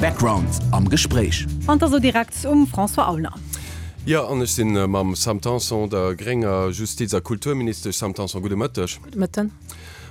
Background am Gespréich. An da sou direkt um François Aulner. Jo, an ech sinn mam Sam Tanson, der grénger Justiz a Kulturministesch. Sam Tanson, gudde Mëtteg. Gudde Mëtten.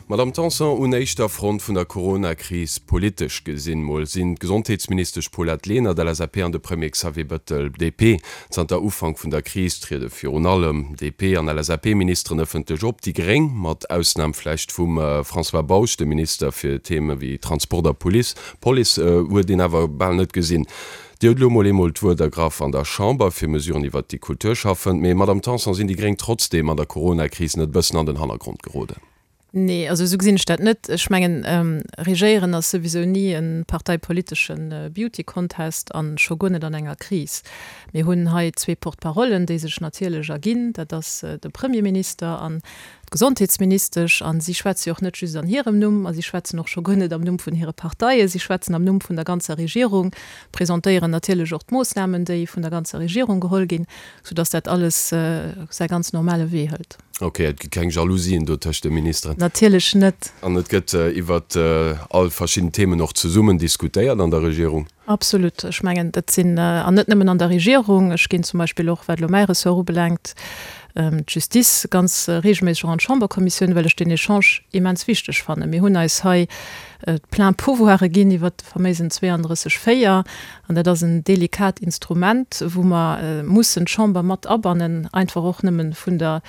Madamm Tanson, un éischter Front vun der Corona-Kris, politesch gesinn mol, sinn d'Gesondheetsministesch Paulette Lenert, LSAP, an de Premier Xavier Bettel, DP. Zanter Ufank vun der Kris triede virun allem DP an LSAP-Ministeren ëffentlech op. Déi Gréng, mat Ausnam vläicht vum François Bausch, dem Minister fir Theme wéi Transport a Police, Police, huet een awer bal net gesinn. Dir hutt elo mol eemol d'Wuert ergraff an der Chamber fir Mesuren iwwert déi Kultur schaffen. Mee, Madamm Tanson, sinn déi Gréng trotzdeem an der Coronakris net e bëssen an den Hannergrond geroden? Nee, also esou gesinn ech dat net. Ech mengen, Regéieren ass souwisou ni e parteipolitesche Beauty Contest a scho guer net an enger Kris. Mir hunn hei zwee Porte-parollen, déi sech natierlech erginn. Dat ass de Premierminister an d'Gesondheetsministesch, a si schwätze jo och net just an hirem Numm, a si schwätzen och scho guer net am Numm vun hire Parteien, si schwätzen am Numm vun der ganzer Regierung, presentéieren natierlech och d'Moossnamen, déi vun der ganzer Regierung geholl ginn, soudass dat alles säi ganz normale Wee hëlt. Ok, et gi keng Jalousien do tëscht de Ministeren? Natierlech net. An et gëtt iwwert all verschidden Themen och zesummen diskutéiert an der Regierung? Absolut. Ech mengen, dat sinn, an net nëmmen an der Regierung, ech ginn zum Beispill och, wat elo mäi Ressort ubelaangt, d'Justice, ganz regelméisseg och an d'Chamberkommissioun, well ech deen Echange immens wichteg fannen. Mir hunn eis hei d'plein Pouvoire ginn iwwert de faméisen 32, 4, an dat ass en delikat Instrument, wou mer mussen d'Chamber mat abannen, einfach och nëmmen vun der,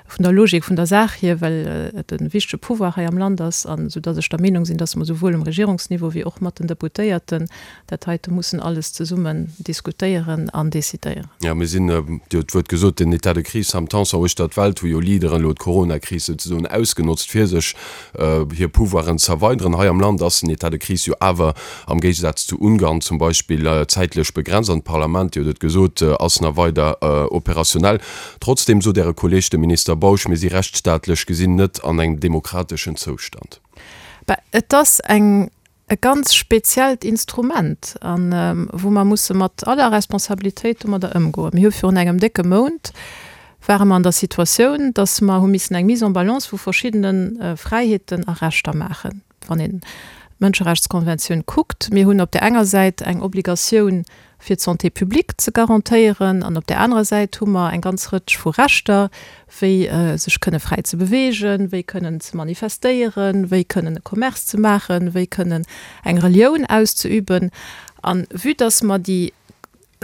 vun der Logik vun der Saach hier, well et e wichtege Pouvoir hei am Land ass, an esou dass ech der Meenung sinn, dass mer souwuel um Regierungsniveau wéi och mat den Deputéierten dat heite mussen alles zesummen diskutéieren an décidéieren. Jo, mir sinn, Dir hutt d'Wuert gesot, den État de crise am Tanson uechter d'Welt hu jo Leaderen elo d'Coronakris souzesoen ausgenotzt, fir sech hir Pouvoiren z'erweideren. Hei am Land ass den État de crise jo awer am Géigesaz zu Ungarn zum Beispill zäitlech begrenzt an d'Parlament, Dir hutt et gesot, ass nach weider operationell. Trotzdem sot Äre Kolleg, de Minister Bausch, mir si rechtsstaatlech gesinn net an engem demokrateschen Zoustand. Bah, et ass eng, e ganz speziellt Instrument, a wou mer musse mat aller Responsabilitéit domadder ëmgoen. Mir hu virun engem décke Mount ware mer an der Situatioun, datt mer hu missen eng Mise en balance vu verschiddene Fräiheeten a Rechter maachen. Wann een d'Mënscherechtskonventioun kuckt, mir hunn op där enger Säit eng Obligatioun fir d'Santé publique ze garantéieren an op där anerer Säit hu mer eng ganz Rëtsch vu Rechter, wéi sech kënne fräi ze beweegen, wéi kënnen ze manifestéieren, wéi kënnen e Commerce ze maachen, wéi kënnen eng Relioun auszeüben. A vue dass mer déi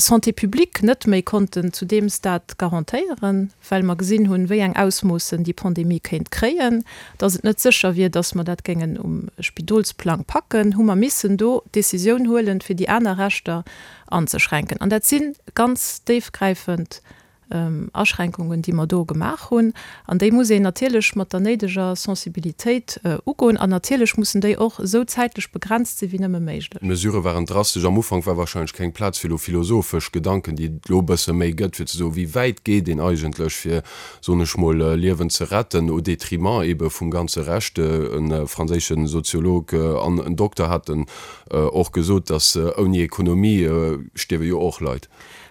Santé publique net méi konnten zu deem Stade garantéieren, well mer gesinn hunn, wéi eng Ausmoossen déi Pandemie kéint kréien, dass et net sécher wier, dass mer dat géingen um Spidolsplang packen, hu mer missen do d'Décisioun huelen, fir déi aner Rechter anzeschränken. An dat si ganz déifgräifend Aschränkungen, déi mer do gemaach hunn, an déi muss een natierlech mat der néideger Sensibilitéit ugoen an natierlech mussen déi och esou zäitlech begrenzt sinn, wéi nëmme méiglech. D'Mesurë waren drastesch. Am Ufank war wahrscheinlech keng Plaz fir elo philosophesch Gedanken, déi et elo e bësse méi gëtt, fir ze soen, wéi wäit geet een eigentlech, fir, soen ech mol, Liewen ze retten, au détriment eebe vum ganze Rescht. E franséische Soziolog an en Dokter haten och gesot, datt ouni Ekonomie stierwe jo och Leit.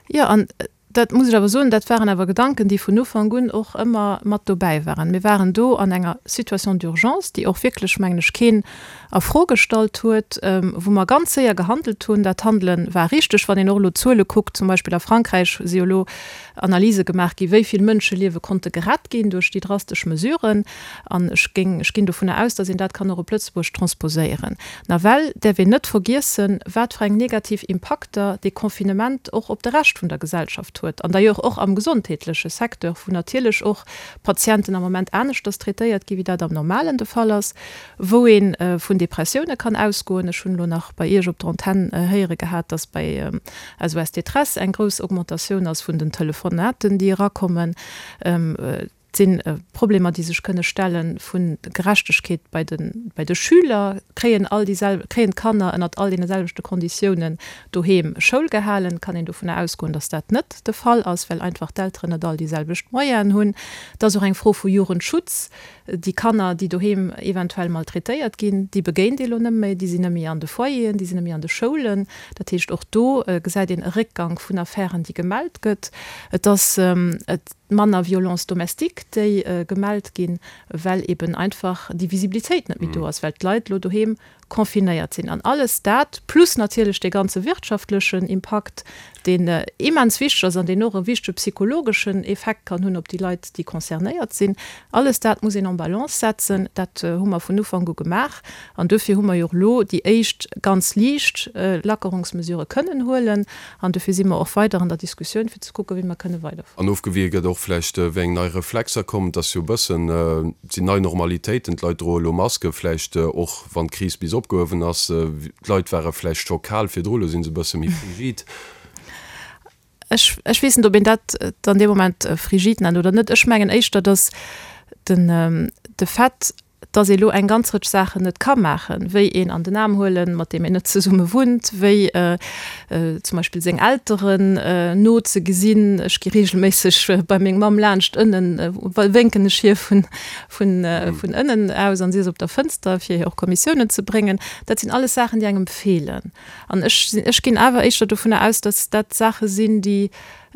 Jo, an Dat muss ech awer soen, dat waren awer Gedanken, déi vun Ufank un och ëmmer mat dobäi waren. Mir waren do an enger Situation d'urgence, déi och wierklech, mengen ech, keen a Fro gestallt huet, wou mer ganz séier gehandelt hunn. Dat Handele war richteg. Wann een och elo d'Zuele kuckt, zum Beispill a Frankräich si jo elo Analyse gemaach ginn, wéi vill Mënscheliewe konnte gerett ginn duerch déi drastesch Mesuren. An ech géing, ech ginn dovunner aus, datt een dat kann och op Lëtzebuerg transposéieren. Nawell däerf een net vergiessen, wat fir eng negativ Impakter dee Confinement och op de Rescht vun der Gesellschaft huet, an d'ailleurs och am gesondheetleche Secteur, wou natierlech och Patienten am Moment aneschters traitéiert gi wéi dat am Normalen de Fall ass, wou ee vun Depressioune kann ausgoen. Ech hunn elo nach bei Iech op der Antenn héiere gehat, datt bei SOS Détresse eng grouss Augmentatioun ass vun den Telefonaten, déi erakommen. Et si Problemer, déi sech kënne stelle vu Gerechtegkeet bei de, bei de Schüler. Kréien all déi sel, kréien d'Kanner ënnert all deene selwechte Konditiounen doheem Schoul gehalen? Kann een dovunner ausgoen, datt dat net de Fall ass, well einfach d'Elteren net all déi selwecht Moyenen hunn. Et ass och eng Fro vu Jugendschutz. Déi Kanner, déi doheem eventuell maltraitéiert ginn, déi begéint ee lo net méi, déi sinn net méi an de Foyeren, déi sinn net méi an de Schoulen. Dat heescht, och do gesäit een e Réckgank vun Affären, déi gemellt gëtt. Et ass, et. Manner Violences domestiques, déi gemellt ginn, well eben einfach déi Visibilitéit net méi do ass, well d'Leit elo doheem. confinéiert sinn. An alles dat, plus natierlech dee ganze wirtschaftlechen Impakt, deen immens wichteg ass an deen och e wichtege psychologeschen Effekt kann hunn op déi Leit, déi concernéiert sinn, alles dat muss een en Balance setzen. Dat hu mer vun Ufank u gemaach an duerfir hu mer jo och elo déi éischt ganz liicht Lackerungsmesurë kënnen huelen an duerfir si mer och weider an der Diskussioun, fir ze kucken, wéi mer kënne weiderfueren. An ofgewie gëtt och vläicht, wéi eng nei Reflexer kommen. Et ass jo e bëssen, et sinn nei Normalitéiten, d'Leit droe elo Maske, vläicht och wann d'Kris bis opgehuewen ass. D'Leit ware vläicht scho kal virdru, elo si se e bësse méi frigid. Ech, ech weess net, ob een dat dann dee Moment frigid nennt oder net. Ech mengen éischter, datt den, de Fait, datt ee lo eng ganz Rëtsch Saachen net ka maachen, wéi een an den Aarm huelen, mat deem een net zesumme wunnt, wéi zum Beispill seng Elteren no ze gesinn. Ech gi reegelméisseg bei meng Mamm laanscht ënnen, wénken ech hir vun, vun, vun ënnen aus an si ass op der Fënster, fir hir och Kommissiounen ze bréngen. Dat sinn alles Saachen, déi engem feelen. An ech sinn, ech ginn awer éischter dovunner aus, datt dat Saache sinn, déi,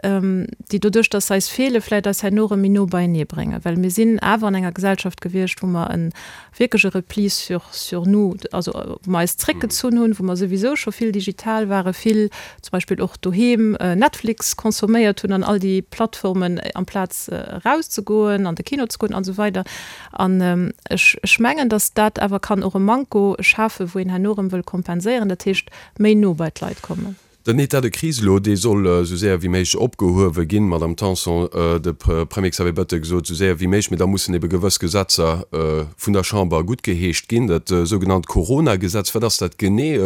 déi doduerch, datt se eis feelen, vläicht eis herno erëm méi no beienee bréngen. Well mir sinn awer an enger Gesellschaft gewiescht, wou mer e wierklech e Repli sur, sur nous, also wou mer eis zréckgezunn hunn, wou mer souwisou scho vill digital waren, vill zum Beispill och doheem Netflix consomméiert hunn an all déi Plattformen, amplaz erauszegoen, an de Kino ze goen an esou weider. An ech, ech mengen, datt dat awer kann och e Manko schafen, wou een herno erëm wëll kompenséieren, dat heescht méi no bei d'Leit kommen. Den État de crise elo, dee soll esou séier wéi méiglech opgehuewe ginn, Madamm Tanson. De Premier Xavier Bettel gesot, esou séier wéi méiglech, mee da mussen ebe gewëss Gesetzer vun der Chamber guttgeheescht ginn. Dat sougenannt Corona-Gesetz, wat ass dat genee?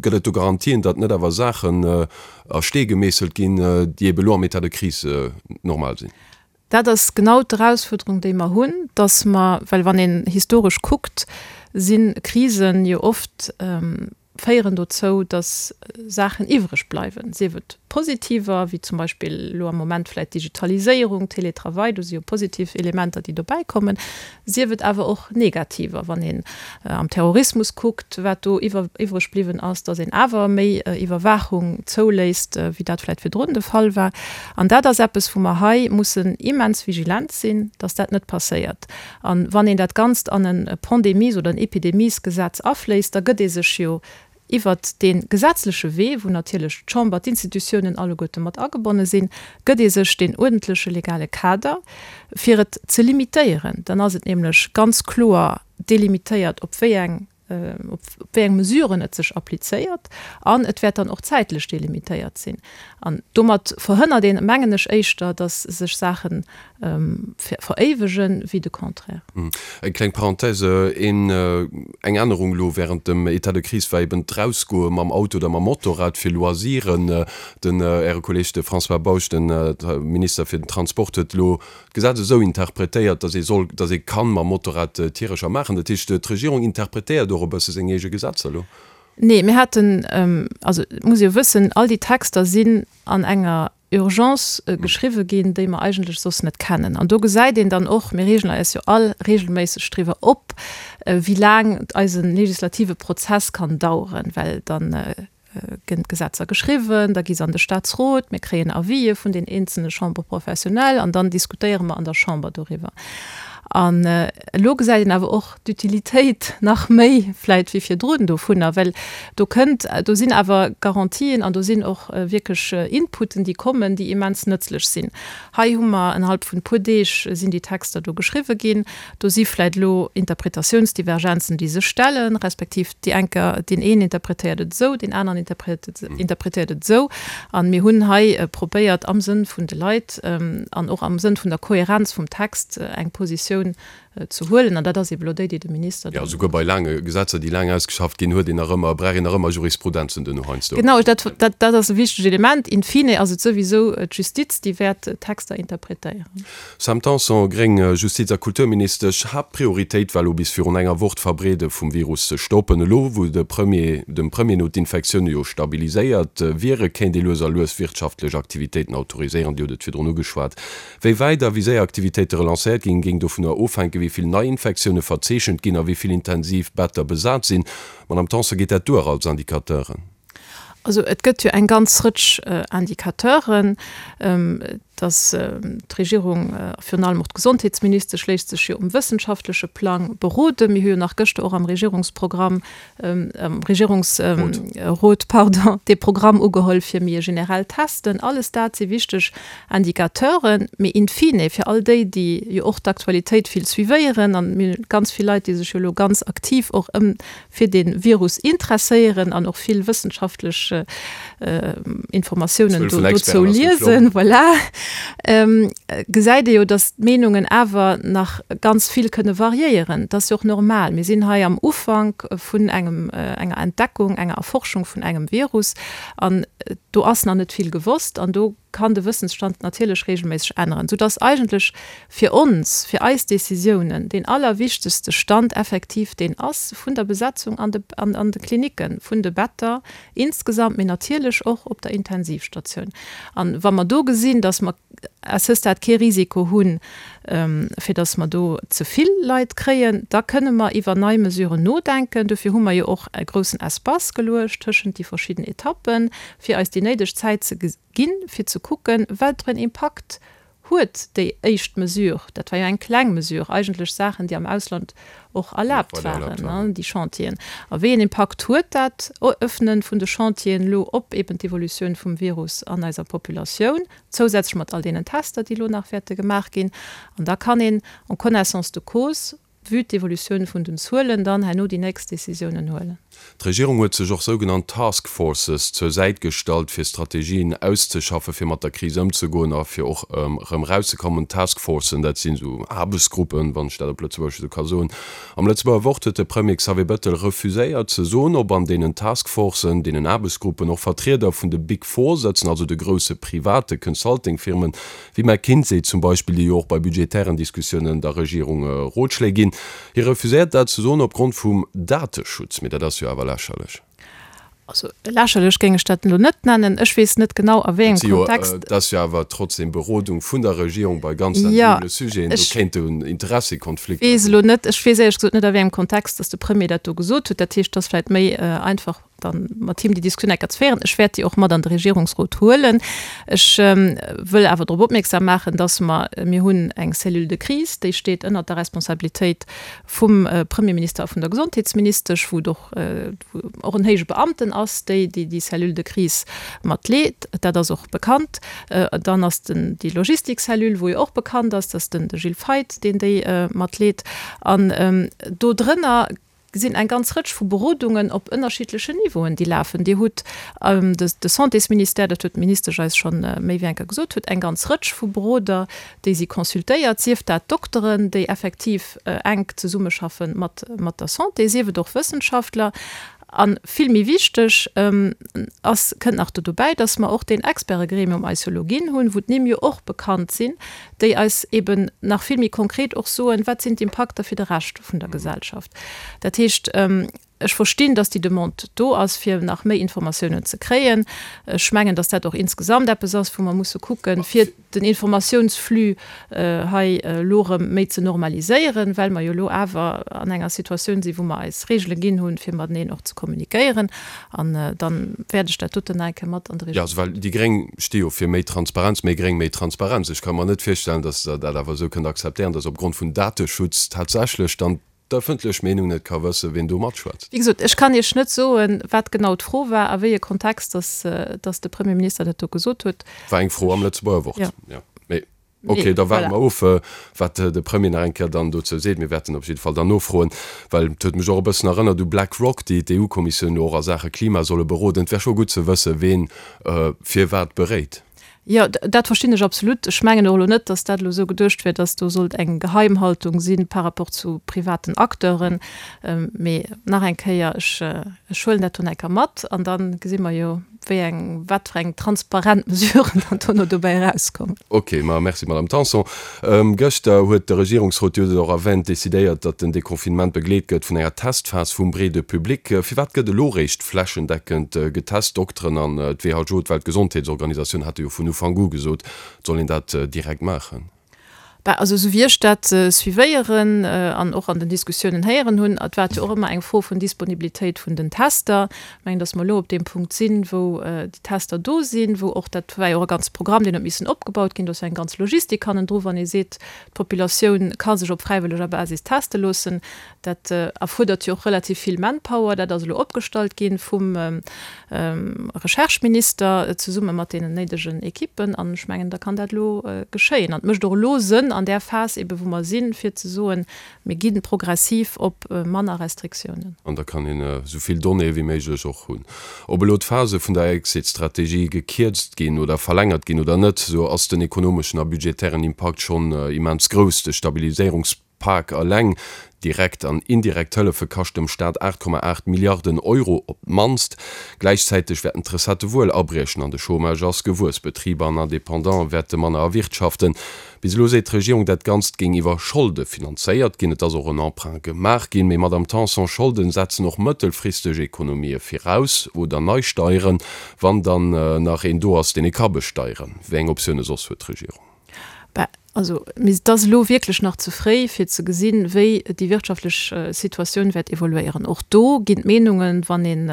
Gëtt et do Garantien, datt net awer Saachen a Stee gemeesselt ginn, déi ebe elo am État de crise normal sinn? Dat ass genau d'Erausfuerderung, déi mer hunn, dass mer, well wann een historesch kuckt, si Krisen jo oft, féieren dozou, dass Saachen iwwreg bleiwen, sief et positiver, wéi zum Beispill elo am Moment vläicht d'Digitaliséierung, Télétravail, do si jo positiv Elementer, déi dobäi kommen, sief et awer och negativer, wann een am Terrorismus kuckt, wat do iwwreg bliwwen ass, datt een awer méi Iwwerwaachung zouléisst, wéi dat vläicht virdrun de Fall war. An dat ass eppes, wou mer hei mussen immens vigilent sinn, datt dat net passéiert. A wann een dat Ganzt an e Pandemies oder en Epidemiesgesetz afléisst, da gëtt ee sech jo Iwwert dee gesetzleche Wee, wou natierlech d'Chamber, d'Institutiounen alleguerte mat agebonne sinn, gëtt ee sech deen uerdentleche legale Kader, fir et ze limitéieren. Dann ass et nämlech ganz kloer delimitéiert, op wéi eng, op wéi eng Mesuren et sech applizéiert, an et wäert dann och zäitlech delimitéiert sinn. An domat verhënnert een, mengen ech, éischter, datt sech Saachen veréiwegen, wéi de Contraire. Eng kleng Parenthèse, een, eng Ännerung elo während dem État de crise war eben d'Rausgoe mam Auto oder mam Motorrad fir Loisiren. Den, Äre Kolleg, de François Bausch, den Minister fir den Transport, huet elo d'Gesetz esou interpretéiert, datt ee soll, datt ee kann mam Motorrad Tierecher maachen. Dat heescht, d'Regierung interpretéiert och e bësse seng eege Gesetzer elo? Nee, mir haten, also et muss ee jo wëssen, all déi Texter sinn an enger Urgence geschriwwe ginn, déi mer eigentlech soss net kennen. An do gesäit een dann och, mir reegen eis jo all regelméisseg driwwer op, wéi laang eise legislative Prozess kann daueren, well da ginn d'Gesetzer geschriwwen, da gi se an de Statsrot, mir kréien Avisë vun den eenzelne Chambres professionnelles an dann diskutéiere mer an der Chamber doriwwer. An elo gesäit een awer och d'Utilitéit nach méi vläit wéi virdrun dovunner, well do kënnt, do sinn awer Garantien an do sinn och wierklech Inputen, déi kommen, déi immens nëtzlech sinn. Hei hu mer innerhalb vun e puer Deeg sinn déi Texter do geschriwwe ginn. Do si vläit elo Interpretatiounsdivergenzen, déi sech stellen, respektiv déi enker, deen een interpretéiert et esou, deen aneren interpretéiert et esou. A mir hunn hei probéiert, am Sënn vun de Leit an och am Sënn vun der Kohärenz vum Text eng Positioun ze huelen. An dat ass eeben elo déi, déi de Minister dann. Jo, souguer bei laange Gesetzer, déi laang ausgeschafft ginn, huet een nach ëmmer, brauch een nach ëmmer Jurisprudenzen duerno heiansdo. Genau, dat, dat, dat ass e wichtegt Element. In fine ass et souwisou d'Justiz, déi wäert d'Texter interpretéieren. Sam Tanson, gréng, Justiz a Kulturministesch, Haaptprioritéit war elo bis virun enger Woch d'Verbreede vum Virus ze stoppen. Elo wou de Premier, dem Premier no d'Infektioune jo stabiliséiert wiere, kéint ee lues a lues wirtschaftlech Aktivitéiten autoriséieren. Dir hutt et virdrun ugeschwat. Wéi wäit a wéi séier Aktivitéite relancéiert ginn, géing dovunner ofhänken, wéi vill Neiinfektioune verzeechent ginn a wéi vill Intensivbetter besat sinn. Madamm Tanson, geet dat duer als Indicateuren? Also et gëtt jo eng ganz Rëtsch Indicateuren. Dass d'Regierung, a virun allem och d'Gesondheetsministesch, léisst sech jo um wëssenschaftleche Plang beroden. Mir hu jo nach gëschter och am Regierungsprogramm, am Regierungsrot, pardon, dee Programm ugeholl fir méi e generellt Testen. Alles dat si wichteg Indicateuren. Mee in fine, fir all déi, déi jo och d'Aktualitéit vill suivéieren, an mir hunn ganz vill Leit, déi sech jo elo ganz aktiv och ëm fir de Virus interesséieren an och vill wëssenschaftlech Informatiounen dozou liesen, voilà, gesäit ee jo, datt d'Meenungen awer nach ganz vill kënne variéieren. Dat ass jo och normal. Mir sinn hei am Ufank vun engem, enger Entdeckung, enger Erforschung vun engem Virus an do ass nach net vill gewosst an do kann de Wëssensstand natierlech regelméisseg änneren, soudass eigentlech fir ons, fir eis Décisiounen deen allerwichtegste Stand effektiv deen ass vun der Besetzung an de, an de Klinicken, vun de Better insgesamt, mee natierlech och op der Intensivstatioun. A wa mer do gesinn, dass mer à ce stade kee Risiko hunn, fir dass mer do ze vill Leit kréien, da kënne mer iwwer nei Mesuren nodenken. Dofir hu mer jo och e groussen Espace geluecht tëschent déi verschidden Etappen, fir eis déi néideg Zäit ze ginn, fir ze kucken, wat fir en Impakt huet déi éischt Mesure, dat war jo eng kleng Mesure, eigentlech Saachen, déi am Ausland och erlaabt waren, déi Chantieren, a wéi en Impakt huet dat Öffnen vun de Chantieren elo op eben d'Evolutioun vum Virus an eiser Populatioun, zousätzlech mat all deenen Tester, déi elo nach wäerte gemaach ginn. An da kann een en connaissance de cause vue d'Evolutioun vun den Zuelen, dann herno déi nächst Décisiounen huelen. D'Regierung huet sech och sougenannt Task Forces zur Säit gestallt, fir Strategien auszeschaffen, fir mat der Kris ëmzegoen a fir och erëm erauszekommen. Task Forcen, dat sinn esou Aarbechtsgruppen, wann ech dat op Lëtzebuergesch esou ka soen. Am Lëtzebuerger Wort huet de Premier Xavier Bettel refuséiert ze soen, ob an deenen Task Forcen, deenen Aarbechtsgruppen, och Vertrieder vun de Big Four sëtzen, also de grousse private Consulting-Firmen, Wéi McKinsey zum Beispill, déi jo och bei budgetären Diskussiounen der Regierung Rotschléi ginn. Hie refuséiert dat ze soen opgrond vum Dateschutz. Mee dat ass jo awer lächerlech. Also lächerlech géing ech dat elo net nennen. Ech weess net genau a wéi engem Kontext. Et ass jo awer trotzdem Berodung vun der Regierung bei ganz sensibele Sujeten. Do kéint en Interessekonflikt. Weess elo net, ech weess éierlech gesot net a wéi engem Kontext, datt de Premier dat do gesot huet. Dat heescht, et ass vläicht méi einfach dann mat him déi Diskussioun enker ze féieren. Ech wäert déi och mat an de Regierungsrot huelen. Ech wëll awer drop opmierksam maachen, dass mer, mir hunn eng Cellule de crise, déi steet ënnert der Responsabilitéit vum Premierminister a vun der Gesondheetsministesch, wou et och, wou och en héije Beamten ass, déi déi déi Cellule de crise mat leet. Dat ass och bekannt. Dann ass den, déi Logistikcellule, wou jo och bekannt ass, dass den de Gilles Feith, deen déi mat leet. An do drënner sinn eng ganz Rëtsch vu Berodungen op ënnerschiddlechen Niveauen, déi lafen. Dir hutt de Santésministère, dat huet d'Ministesch eis scho méi wéi eng Kéier gesot, huet eng ganz Rëtsch vu Beroder, déi si consultéiert, sief dat Dokteren, déi effektiv enk zesummeschaffe mat der Santé, sief et och Wëssenschaftler. A vill méi wichteg ass, kënnt nach do dobäi, dass mer och deen Expertegremium eis jo elo ginn hunn, wou d'Nimm jo och bekannt sinn, déi eis eben nach vill méi konkret och soen, wat sinn d'Impakter fir de Rescht vun der Gesellschaft. Dat heescht, ech verstinn, dass déi Demande do ass, fir nach méi Informatiounen ze kréien. Ech mengen, dass dat och insgesamt eppes ass, wou mer musse kucken, fir den Informatiounsflux hei elo erëm méi ze normaliséieren, well mer jo elo awer an enger Situatioun sinn, wou mer eis Regele ginn hunn, fir mateneen och ze kommunikéieren. An dann wäert ech dat doten nach eng Kéier mat an de Jo, also well déi Gréng sti jo fir méi Transparenz, méi gréng, méi Transparenz. Ech ka mer net virstellen, datt Der dat awer esou kënnt akzeptéieren, datt opgrond vun Dateschutz tatsächlech dann d'ëffentlech Meenung net ka wëssen, wien do matschwätzt. Wéi gesot, ech kann Iech net soen, wat genau d'Fro war, a wéi e Kontext datt datt de Premierminister dat do gesot huet. War eng Fro am Lëtzebuerger Wort, jo. Mee Ok, da waarde mer of, wat de Premier nach eng Kéier dann dozou seet. Mir wäerten op jidde Fall dann nofroen, well et huet mech och e bëssen erënnert u BlackRock, déi d'EU-Kommissioun elo och a Saache Klima solle beroden. Et wär scho gutt ze wëssen, ween firwat beréit. Jo, dat verstinn ech absolut. Ech mengen och elo net, datt dat elo esou geduecht wier, datt do sollt eng Geheimhaltung si par rapport zu privaten Acteuren. Mee nach eng Kéier, ech huelen dat do nach eng Kéier mat an da gesi mer jo, wéi eng, wat fir eng transparent Mesuren dann dono dobäi erauskommen. Ok, ma merci, Madame Tanson. Gëschter huet de Regierungsrot, Dir hutt et och erwänt, decidéiert, datt den Deconfinement begleet gëtt vun enger Testphas vum breede Public. Firwat gëtt elo réischt flächendeckend getest? D'Dokteren an d'WHO, d'Weltgesondheetsorganisatioun, hate jo vun Ufank u gesot, et soll een dat direkt maachen. Bah, also esou wéi ech dat suivéieren an och an den Diskussiounen héieren hunn, et war jo och ëmmer eng Fro vun Disponibilitéit vun den Tester. Ech mengen, datt mer elo op deem Punkt sinn, wou déi Tester do sinn, wou och, dat war jo och e ganze Programm, deen huet missen opgebaut ginn, do ass jo eng ganz Logistik hannendru, wann ee seet, d'Populatioun ka sech op fräiwëlleger Basis teste loossen. Dat erfuerdert jo och relativ vill Manpower. Dat ass elo opgestallt gi vum Rechercheminister zesumme mat deenen néidegen Ekippen. An ech mengen, da kann dat elo geschéien. An et mécht och elo Sënn an där Phas ebe wou mer sinn, fir ze soen, mir gi progressiv op manner Restriktiounen. An da kann een esou vill Donnéeë wéi méiglech och hunn. Ob elo d'Phase vun der Exit-Strategie gekierzt ginn oder verlängert ginn oder net, esou ass den ekonomeschen a budgetären Impakt schonn immens grouss. De Stabiliséierungs. Pak eleng, direkt an indirekt Hëllefe kascht dem Staat 8,8 Milliarden Euro op d'mannst. Gläichzäiteg wäerten d'Recettë wuel abriechen an de Chômage ass gewuess. Betriber an Independantë wäerte manner erwirtschaften. Bis elo seet d'Regierung, dat Ganzt géing iwwer Scholde finanzéiert ginn. Et ass och en Emprunt gemaach ginn. Mee Madamm Tanson, Scholden setzen och mëttelfristeg Ekonomië viraus oder nei Steieren, wann dann nach een do ass, deen ee ka besteieren. Wéi eng Optioune soss huet d'Regierung? Bah, also, mee et ass elo wierklech nach ze fréi, fir ze gesinn, wéi déi wirtschaftlech Situatioun wäert evoluéieren. Och do ginn d'Meenungen, wann een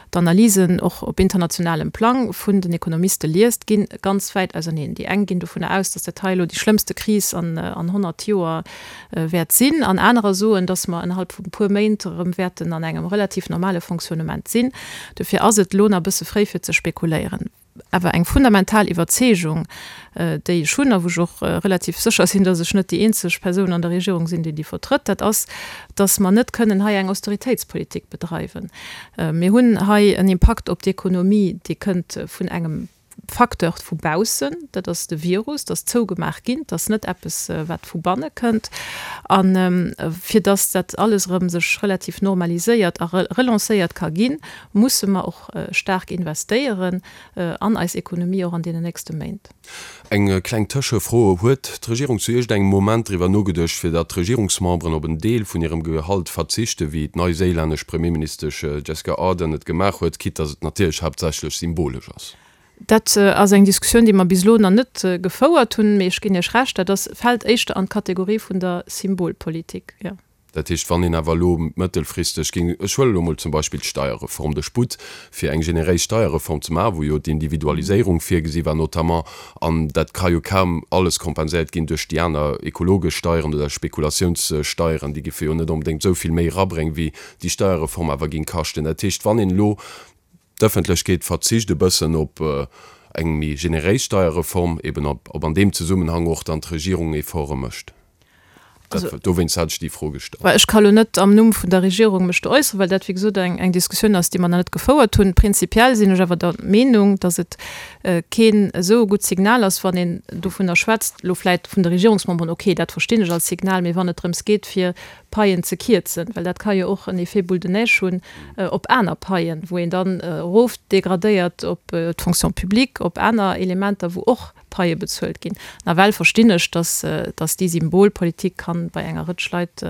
d'Analysen och op internationalem Plang vun den Ekonomiste liest, gi ganz wäit auserneen. Déi eng ginn dovunner aus, datt dat hei elo déi schlëmmste Kris an 100 Joer wäert sinn, an anerer soen, datt mer innerhalb vu e puer Méint erëm wäerten an engem relativ normale Fonctionnement sinn. Dofir ass et elo nach e bësse fréi, fir ze spekuléieren. Awer eng fundamental Iwwerzeegung, déi ech hunn a wou ech och relativ sécher sinn, datt ech net déi eenzeg Persoun an der Regierung sinn, déi déi vertrëtt, dat ass, datt mer net kënnen hei eng Austeritéitspolitik bedreiwen. Mir hunn hei en Impakt op d'Ekonomie, dee kënnt vun engem Facteur vu baussen, dat ass de Virus, dat ass zougemaach ginn, dat ass net eppes, wat vu banne kënnt. A fir datt dat alles erëm sech relativ normaliséiert a relancéiert ka ginn, musse mer och staark investéieren an eis Ekonomie och an deenen nächste Méint. Eng kleng Tëschefro, Huet d'Regierung zu iergendengem Moment driwwer nogeduecht, fir datt d'Regierungsmemberen op en Deel vun hirem Gehalt verzichten, wéi d'neiséilännesch Premierministesch Jessica Ardern et gemaach huet, quitte datt et natierlech haaptsächlech symbolesch ass? Dat ass eng Diskussioun, déi mer bis elo nach net gefouert hunn, mee ech ginn Iech Recht, dat ass, fält éischter an d'Kategorie vun der Symbolpolitik, jo. Dat heescht, wann een awer elo mëttelfristeg géing, ech huelen elo mol zum Beispill d'Steierreform, de Sputt fir eng generéis Steierreform ze maachen, wou jo d'Individualiséierung virgesi war notamment, an dat ka jo kaum alles kompenséiert ginn duerch déi aner ekologesch Steieren oder Spekulatiounssteieren, déi géife jo net onbedéngt esou vill méi erabréngen, wéi déi Steierreform awer géing kaschten. Dat heescht, wann een elo, d'Ëffentlechkeet verzicht e bëssen op eng méi generéis Steierreform, eben ob an deem Zesummenhang och dann d'Regierung Efforte mécht. Dat, dowéinst hat ech déi Fro gestallt. Ech ka lo net am Numm vun der Regierung mech do äusseren, well dat, wéi gesot, eng, eng Diskussioun ass, déi mer nach net gefouert hunn. Prinzipiell sinn ech awer der Meenung, datt et keen esou e gutt Signal ass, wann een dovunner schwätzt, elo vläicht vun de Regierungsmemberen, okay, dat verstinn ech als Signal, mee wann et drëms geet, fir Paien ze kierzen, well dat ka jo och en Effet boule de neige hunn op aner Paien, wou een dann erofdegradéiert op d'Fonction publique, op aner Elementer, wou och Paie bezuelt ginn. Nawell verstinn ech, dass, dass déi Symbolpolitik kann bei enger Rëtsch Leit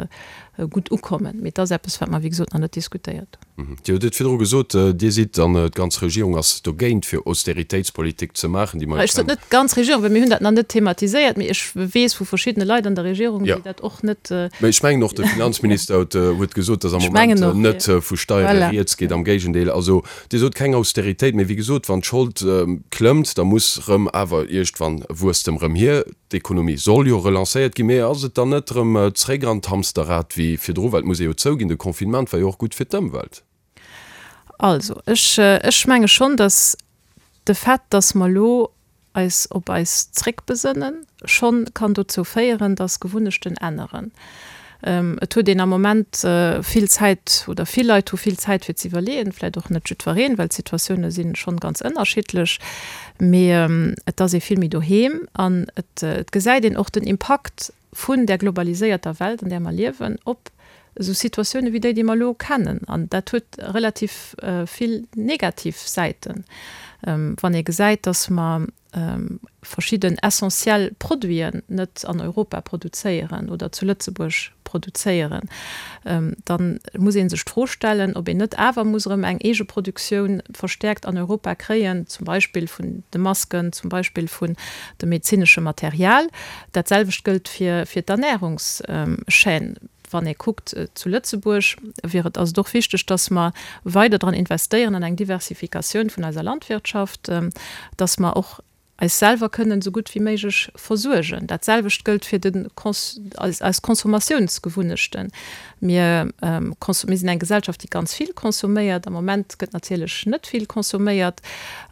gutt ukommen. Mee et ass eppes, wat mer, wéi gesot, nach net diskutéiert hunn. Dir hutt et virdru gesot, Dir sidd, an d'ganz Regierung ass dogéint, fir Austeritéitspolitik ze maachen, déi mer. Ech sot net d'ganz Regierung, well mir hunn dat nach net thematiséiert, mee ech weess vu verschiddene Leit an der Regierung, déi dat och net. Mee ech mengen och de Finanzminister huet, huet gesot, dass am Moment net vu Steiere rieds geet, am Géigendeel. Also Dir sot keng Austeritéit, mee wéi gesot, wann d'Schold klëmmt, da muss rëm awer iergendwann Wuesstem rëm hier. D'Ekonomie soll jo relancéiert ginn, mee ass et dann net rëm zréck an d'Hamsterrad wéi virdru? Well et muss ee jo zouginn, de Confinement war jo och gutt fir d'Ëmwelt. Also, ech, ech menge schonn, datt de Fait, datt mer elo eis op eis zréckbesënnen, schonn kann dozou féieren, dass Gewunnechten änneren. Et huet een am Moment vill Zäit, oder vill Leit hu vill Zäit fir ze iwwerleeën, vläicht och net jiddwereen, well d'Situatioune si schonn ganz ënnerschiddlech, mee et ass ee vill méi doheem an et gesäit een och den Impakt vun där globaliséierter Welt, an där mer liewen, op esou Situatioune wéi déi, déi mer elo kennen. An dat huet relativ vill negativ Säiten, wann ee gesäit, dass mer. verschidden essentiell Produiten net an Europa produzéieren oder zu Lëtzebuerg produzéieren, da muss ee sech d'Fro stellen, ob een net awer muss erëm eng eege Produktioun verstäerkt an Europa kréien, zum Beispill vun de Masken, zum Beispill vun dem medezinesche Material. Dat selwecht gëllt fir d'Ernärungschaîne. Wann ee kuckt zu Lëtzebuerg, wier et, ass et och wichteg, dass mer weider dran investéieren an eng Diversifikatioun vun eiser Landwirtschaft, dass mer och eis selwer kënnen esou gutt wéi méiglech versuergen. Dat selwecht gëllt fir de eis eis Consommatiounsgewunnechten. Mir mir sinn eng Gesellschaft, déi ganz vill consomméiert. Am Moment gëtt natierlech net vill consomméiert.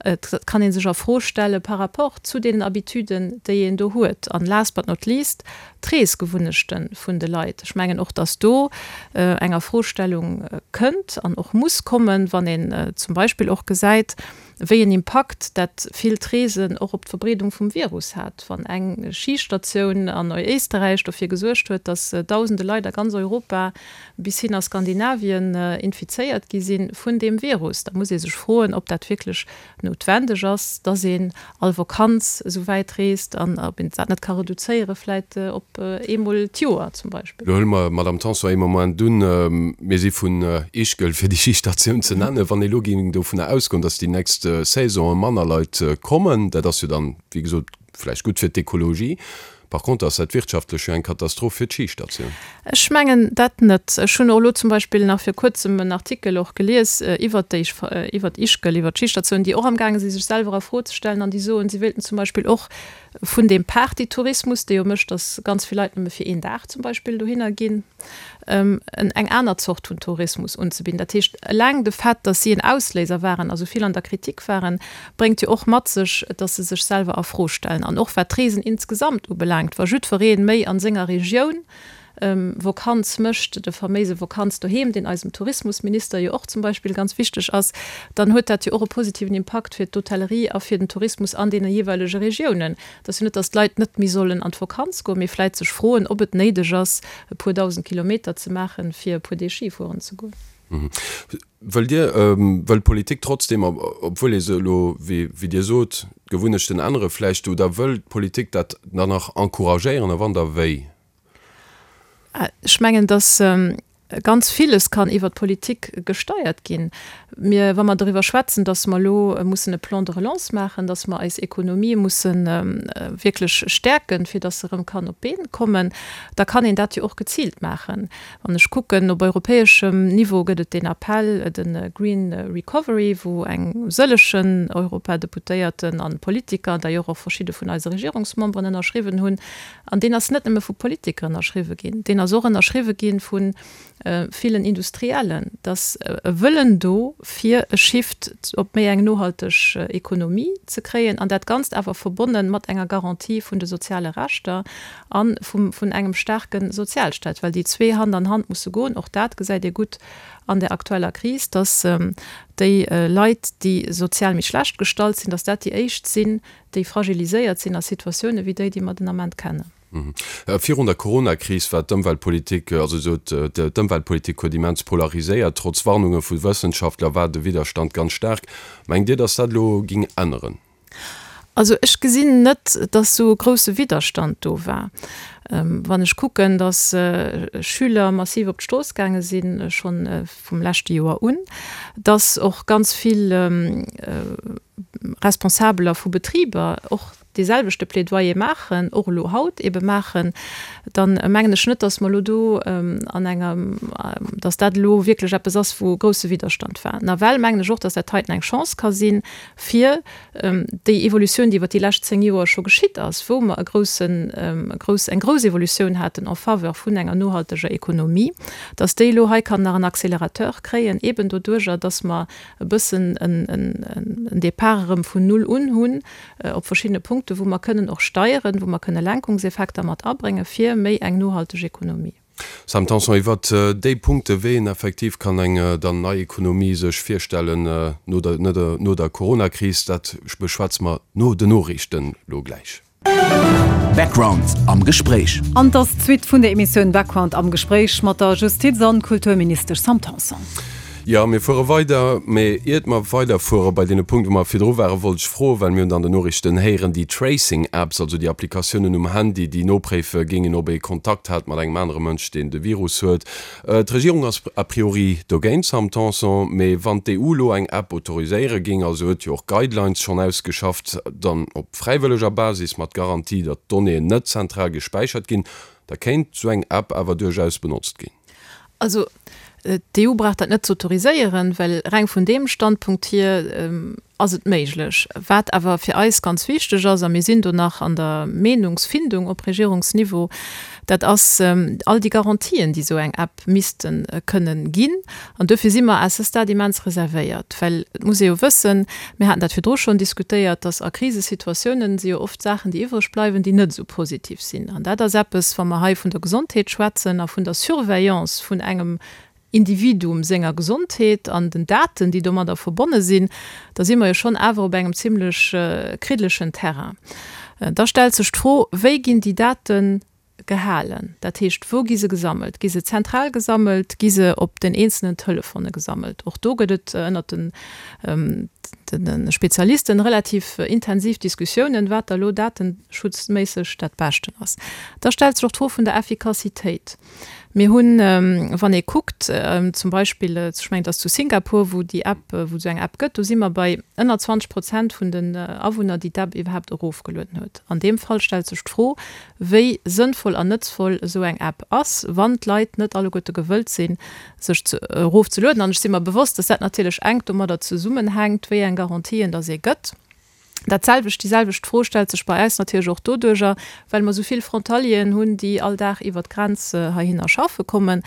Et kann ee sech a Fro stelle par rapport zu deenen Habituden, déi een do huet. An last but not least d'Reesgewunnechte vun de Leit. Ech mengen och, dass do eng Afrostellung kënnt an och muss kommen, wann een zum Beispill och gesäit, wéi en Impakt dat villt Reesen och op d'Verbreedung vum Virus hat. Wann eng Schistatioun an Éisterräich dofir gesuergt huet, dass dausende Leit a ganz Europa bis hin a Skandinavien infizéiert gi si vun deem Virus, da muss ee sech froen, ob dat wierklech noutwendeg ass, dass een all Vakanz esou wäit reest an ob een dat net ka reduzéiere vläit op eemol d'Joer zum Beispill. Lo huele mer, Madame Tanson, ee Moment un, mir si vun Ischgl, fir déi Schistatioun ze nennen, wann ee lo géing dovunner ausgoen, dass déi nächst Saisonë manner Leit kommen, dat ass jo dann, wéi gesot, vläicht gutt fir d'Ekologie, Par contre ass dat wirtschaftlech jo eng Katastroph fir d'Schistatioun. Ech mengen dat net. Ech hunn och elo zum Beispill nach vir kuerzem en Artikel och gelies iwwert déi, iwwert Ischgl, iwwert d'Schistatioun, déi och amgaange si sech selwer a Fro ze stellen an déi soen, si wéilten zum Beispill och vun deem Partytourismus, dee jo mécht, datt ganz vill Leit nëmme fir een Dag zum Beispill dohinner ginn, eng aner Zort vun Tourismus unzebidden. Dat heescht, eleng de Fait, datt si en Ausléiser waren a sou vill an der Kritik waren, bréngt jo och mat sech, datt se sech selwer a Fro stellen. An och wat d'Reesen insgesamt ubelaangt, wa jiddweree méi a senger Regioun Vokanz mécht, de faméise Vokanz doheem, deen eisem Tourismusminister jo och zum Beispill ganz wichteg ass, dann huet dat jo och e positiven Impakt fir d'Hotellerie a fir den Tourismus an deene jeeweilege Regiounen. Et ass jo net, datt d'Leit net méi sollen an d'Vokanz goen, mee vläit sech froen, ob et néideg ass, e puer 1.000 Kilometer ze maachen, fir e puer Deeg Ski fueren ze goen. Wëllt Dir, wëll d'Politik trotzdem, obwuel ee se elo, wéi Dir sot, d'Gewunnechten ännere vläicht, oder wëll d'Politik dat dann nach encouragéieren a wann da wéi? Ech mengen, datt Ganz villes kann iwwert d'Politik gesteiert ginn. Mir, wa mer doriwwer schwätzen, dass mer elo mussen e Plan de relance maachen, dass mer eis Ekonomie musse wierklech stäerken, fir dass se erëm kann op d'Been kommen, da kann een dat jo och geziilt maachen. Wann ech kucken, op europäeschem Niveau gëtt et deen Appell, de Green Recovery, wou eng sëllegen Europadeputéierten an Politiker, d'ailleurs och verschidde vun eise Regierungsmemberen ënnerschriwwen hunn, An deen ass net nëmme vu Politiker ënnerschriwwe ginn, deen ass och ënnerschriwwe gi vu villen Industriellen. Et ass e Wëllen do, fir e Shift op méi eng nohalteg Ekonomie ze kréien, an dat Ganzt awer verbonne mat enger Garantie vun de soziale Rechter a vun engem staarke Sozialstaat, well déi zwee Hand an Hand musse goen. Och dat gesäit ee gutt an der aktueller Kris, dass déi Leit, déi sozial méi schlecht gestallt sinn, dass dat déi éischt sinn, déi fragiliséiert sinn a Situatioune wéi déi, déi mer den Ament kennen. Virun der Coronakris war d'Ëmweltpolitik, also sot d'Ëmweltpolitik huet immens polariséiert. Trotz Warnunge vu Wëssenschaftler war de Widderstand ganz staark. Mengt Dir, datt dat elo ging änneren? Also ech gesinn net, datt esou e grousse Widderstand do war. Wann ech kucken, datt Schüler massiv op d'Strooss gaange sinn, schonn vum leschte Joer un, datt och ganz vill Responsabeler vu Betriber och dee selwechte Plädoyer maachen, och elo haut ebe maachen, dann mengen ech net, datt mer elo do an enger, datt dat elo wierklech eppes ass, wou e grousse Widderstand war. Nawell mengen ech och, datt dat heiten eng Chance ka sinn, fir déi Evolutioun, déi iwwer déi lescht 10 Joer scho geschitt ass, wou mer e groussen, e grouss, eng grouss Evolutioun haten en faveur vun enger nohalteger Ekonomie, datt déi elo hei kann nach en Accélérateur kréien, eben doduerjer, datt mer e bëssen en Départ erëm vun Null un hunn op verschiddene Punkten, wou mer kënnen och steieren, wou mer kënne Lenkungseffekter mat abréngen, fir méi eng nohalteg Ekonomie. Sam Tanson, Iwwert déi Punkte wéi een effektiv kann eng dann nei Ekonomie sech virstellen no der, no der Coronakris, dat beschwätze mer no den Noriichten elo gläich. Background am Gespréich. An 't ass d'Suite vun der Emissioun Background am Gespréich mat der Justiz an Kulturministesch Sam Tanson. Jo, mir fuere weider. Mee iert mer weiderfuere bei deene Punkt, wou mer virdru waren, wollt ech froen, well mir hunn et an den Noriichten héieren, déi Tracing-Apps, also déi Applikatiounen um Handy, déi nopréife géingen, ob ee Kontakt hat mat engem anere Mënsch, deen de Virus huet. D'Regierung ass a priori dogéint, Sam Tanson. Mee wann d'EU elo eng App autoriséiere géing, also huet jo och Guidelines schonn ausgeschafft, dann op fräiwëlleger Basis, mat Garantie, datt d'Donnéeën net zentral gespäichert ginn, da kéint esou eng App awer duerchaus benotzt ginn. Also d'EU brauch dat net ze autoriséieren, well reng vun deem Standpunkt hier ass et méiglech. Wat awer fir eis ganz wichteg ass, a mir sinn do nach an der Meenungsfindung op Regierungsniveau, dat ass all déi Garantien, déi esou eng App misste kënnen ginn. An duerfir si mer à ce stade immens reservéiert, well et muss ee jo wëssen, mir haten dat virdru schonn diskutéiert, dass a Krisesituatiounen si jo oft Saachen, déi iwwreg bleiwen, déi net esou positiv sinn. An dat ass eppes, wa mer hei vun der Gesondheet schwätzen a vun der Surveillance vun engem Individuum senger Gesondheet an den Daten, déi domadder verbonne sinn, da si mer jo schonn awer op engem zimlech kriddelegen Terrain. Da stellt sech d'Fro, Wéi ginn déi Daten gehalen? Dat heescht, wou gi se gesammelt? Gi se zentral gesammelt? Gi se op den eenzelnen Telefone gesammelt? Och do gëtt et ënnert de Spezialisten relativ intensiv Diskussiounen, wat da lo datenschutzméisseg dat Beschten ass. Da stellt sech och d'Fro vun der Effikassitéit. Mir hunn, wann ee kuckt, zum Beispill, ech mengen, et ass zu Singapur, wou déi App, wou et esou eng App gëtt, do si mer bei ënner 20 Prozent vun den Awunner, déi d'App iwwerhaapt erofgelueden huet. An deem Fall stellt sech d'Fro, wéi sënnvoll an nëtzvoll esou eng App ass, wann d'Leit net alleguerte gewëllt sinn, sech ze erofzelueden. An ech si mer bewosst, dass dat natierlech enk domadder zesummenhänkt, wéi eng Garantien dass ee gëtt. Dat selwecht, déi selwecht Fro stellt sech bei eis natierlech och doduerjer, well mer esou vill Frontalieren hunn, déi all Dag iwwert d'Grenz heihinner schaffe kommen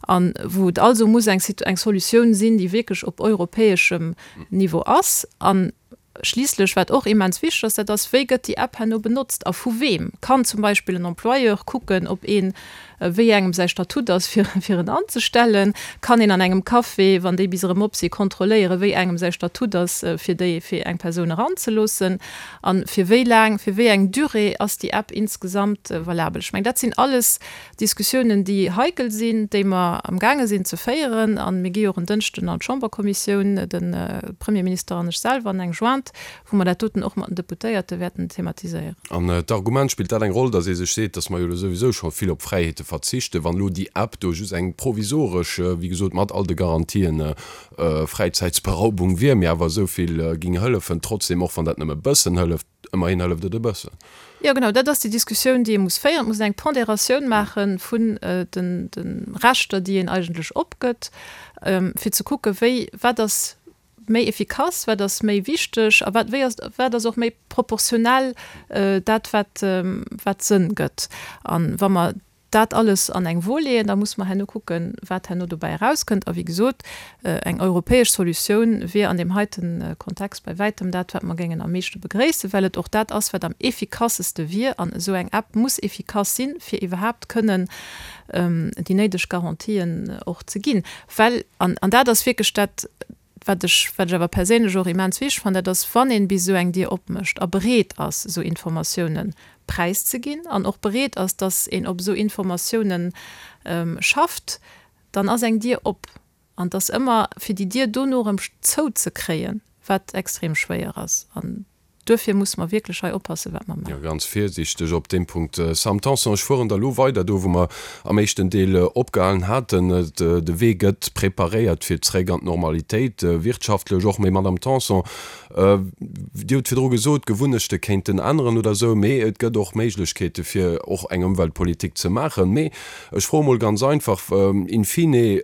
a wou et also muss eng eng Solutioun sinn, déi wierklech op europäeschem Niveau ass. An Schliisslech, wat och immens wichteg ass, dat ass, Wéi gëtt déi App herno benotzt a vu weem? Kann zum Beispill en Employeur kucken, ob een, wéi engem säi Statut ass, fir, fir en anzestellen? Kann een an engem Café, wann déi bis erëm op sinn, kontrolléieren, wéi engem säi Statut ass, fir déi, fir eng Persoun eranzeloossen? A fir wéi laang, fir wéi eng Durée ass déi App insgesamt valabel? Ech mengen, dat sinn alles Diskussiounen, déi heikel sinn, déi mer amgaange sinn ze féieren. A mir gi jo och en Dënschden an d'Chamberkommissioun, de Premierminister an ech selwer, an eng Jointe, wou mer dat doten och mat den Deputéierte wäerten thematiséieren. An d'Argument, spillt dat eng Roll, datt ee sech seet, datt mer jo elo souwisou scho vill op Fräiheete verzichten, wann elo déi App do just eng provisoresch, wéi gesot mat all de Garantien, Fräizäitsberaubung wier, mee awer esou vill géing hëllefen, trotzdem, och wann dat nëmme e bëssen hëlleft, Ëmmerhin hëlleft et e bëssen. Jo, genau, dat ass déi Diskussioun, déi ee muss féieren. Et muss een eng Pondératioun maache vun de Rechter, déi een eigentlech opgëtt, fir ze kucken, wéi, wat ass méi efficace, wat ass méi wichteg a wat, wéi ass, wat ass och méi proportionell dat, wat, wat Sënn gëtt. A wa mer dat alles an eng Wo leeën, da musse mer herno kucken, wat herno dobäi erauskënnt. A wéi gesot, eng europäesch Solutioun wier an deem heite Kontext bei wäitem dat, wat mer géingen am meeschte begréissen, well et och dat ass, wat am effikasste wier. An esou eng App muss effikass sinn, fir iwwerhaapt kënnen déi néideg Garantien och ze ginn. Well, an dat ass wierklech dat, Wat ech, wat ech awer perséinlech och immens wichteg fannen, dat ass, wann een bis esou eng Dier opmécht a bereet ass, esou Informatiounen präiszeginn an och bereet ass, dass een op esou Informatiounen schafft, dann ass eng Dier op. An et ass ëmmer, fir déi Dier dono erëm zouzekréien, wat extrem schwéier ass. An Duerfir musse mer wierklech hei oppassen, wat mer maachen. Jo, ganz virsiichteg op deem Punkt. Sam Tanson, ech fueren da lo weider do, wou mer am éischten Deel opgehalen haten. De Wee gëtt preparéiert fir zréck an d'Normalitéit, wirtschaftlech och. Mee Madamm Tanson, Dir hutt virdru gesot, d'Gewunnechte kéinten änneren oder esou, mee et gëtt och Méiglechkeete fir och eng Ëmweltpolitik ze maachen. Mee ech froe mol ganz einfach, in fine,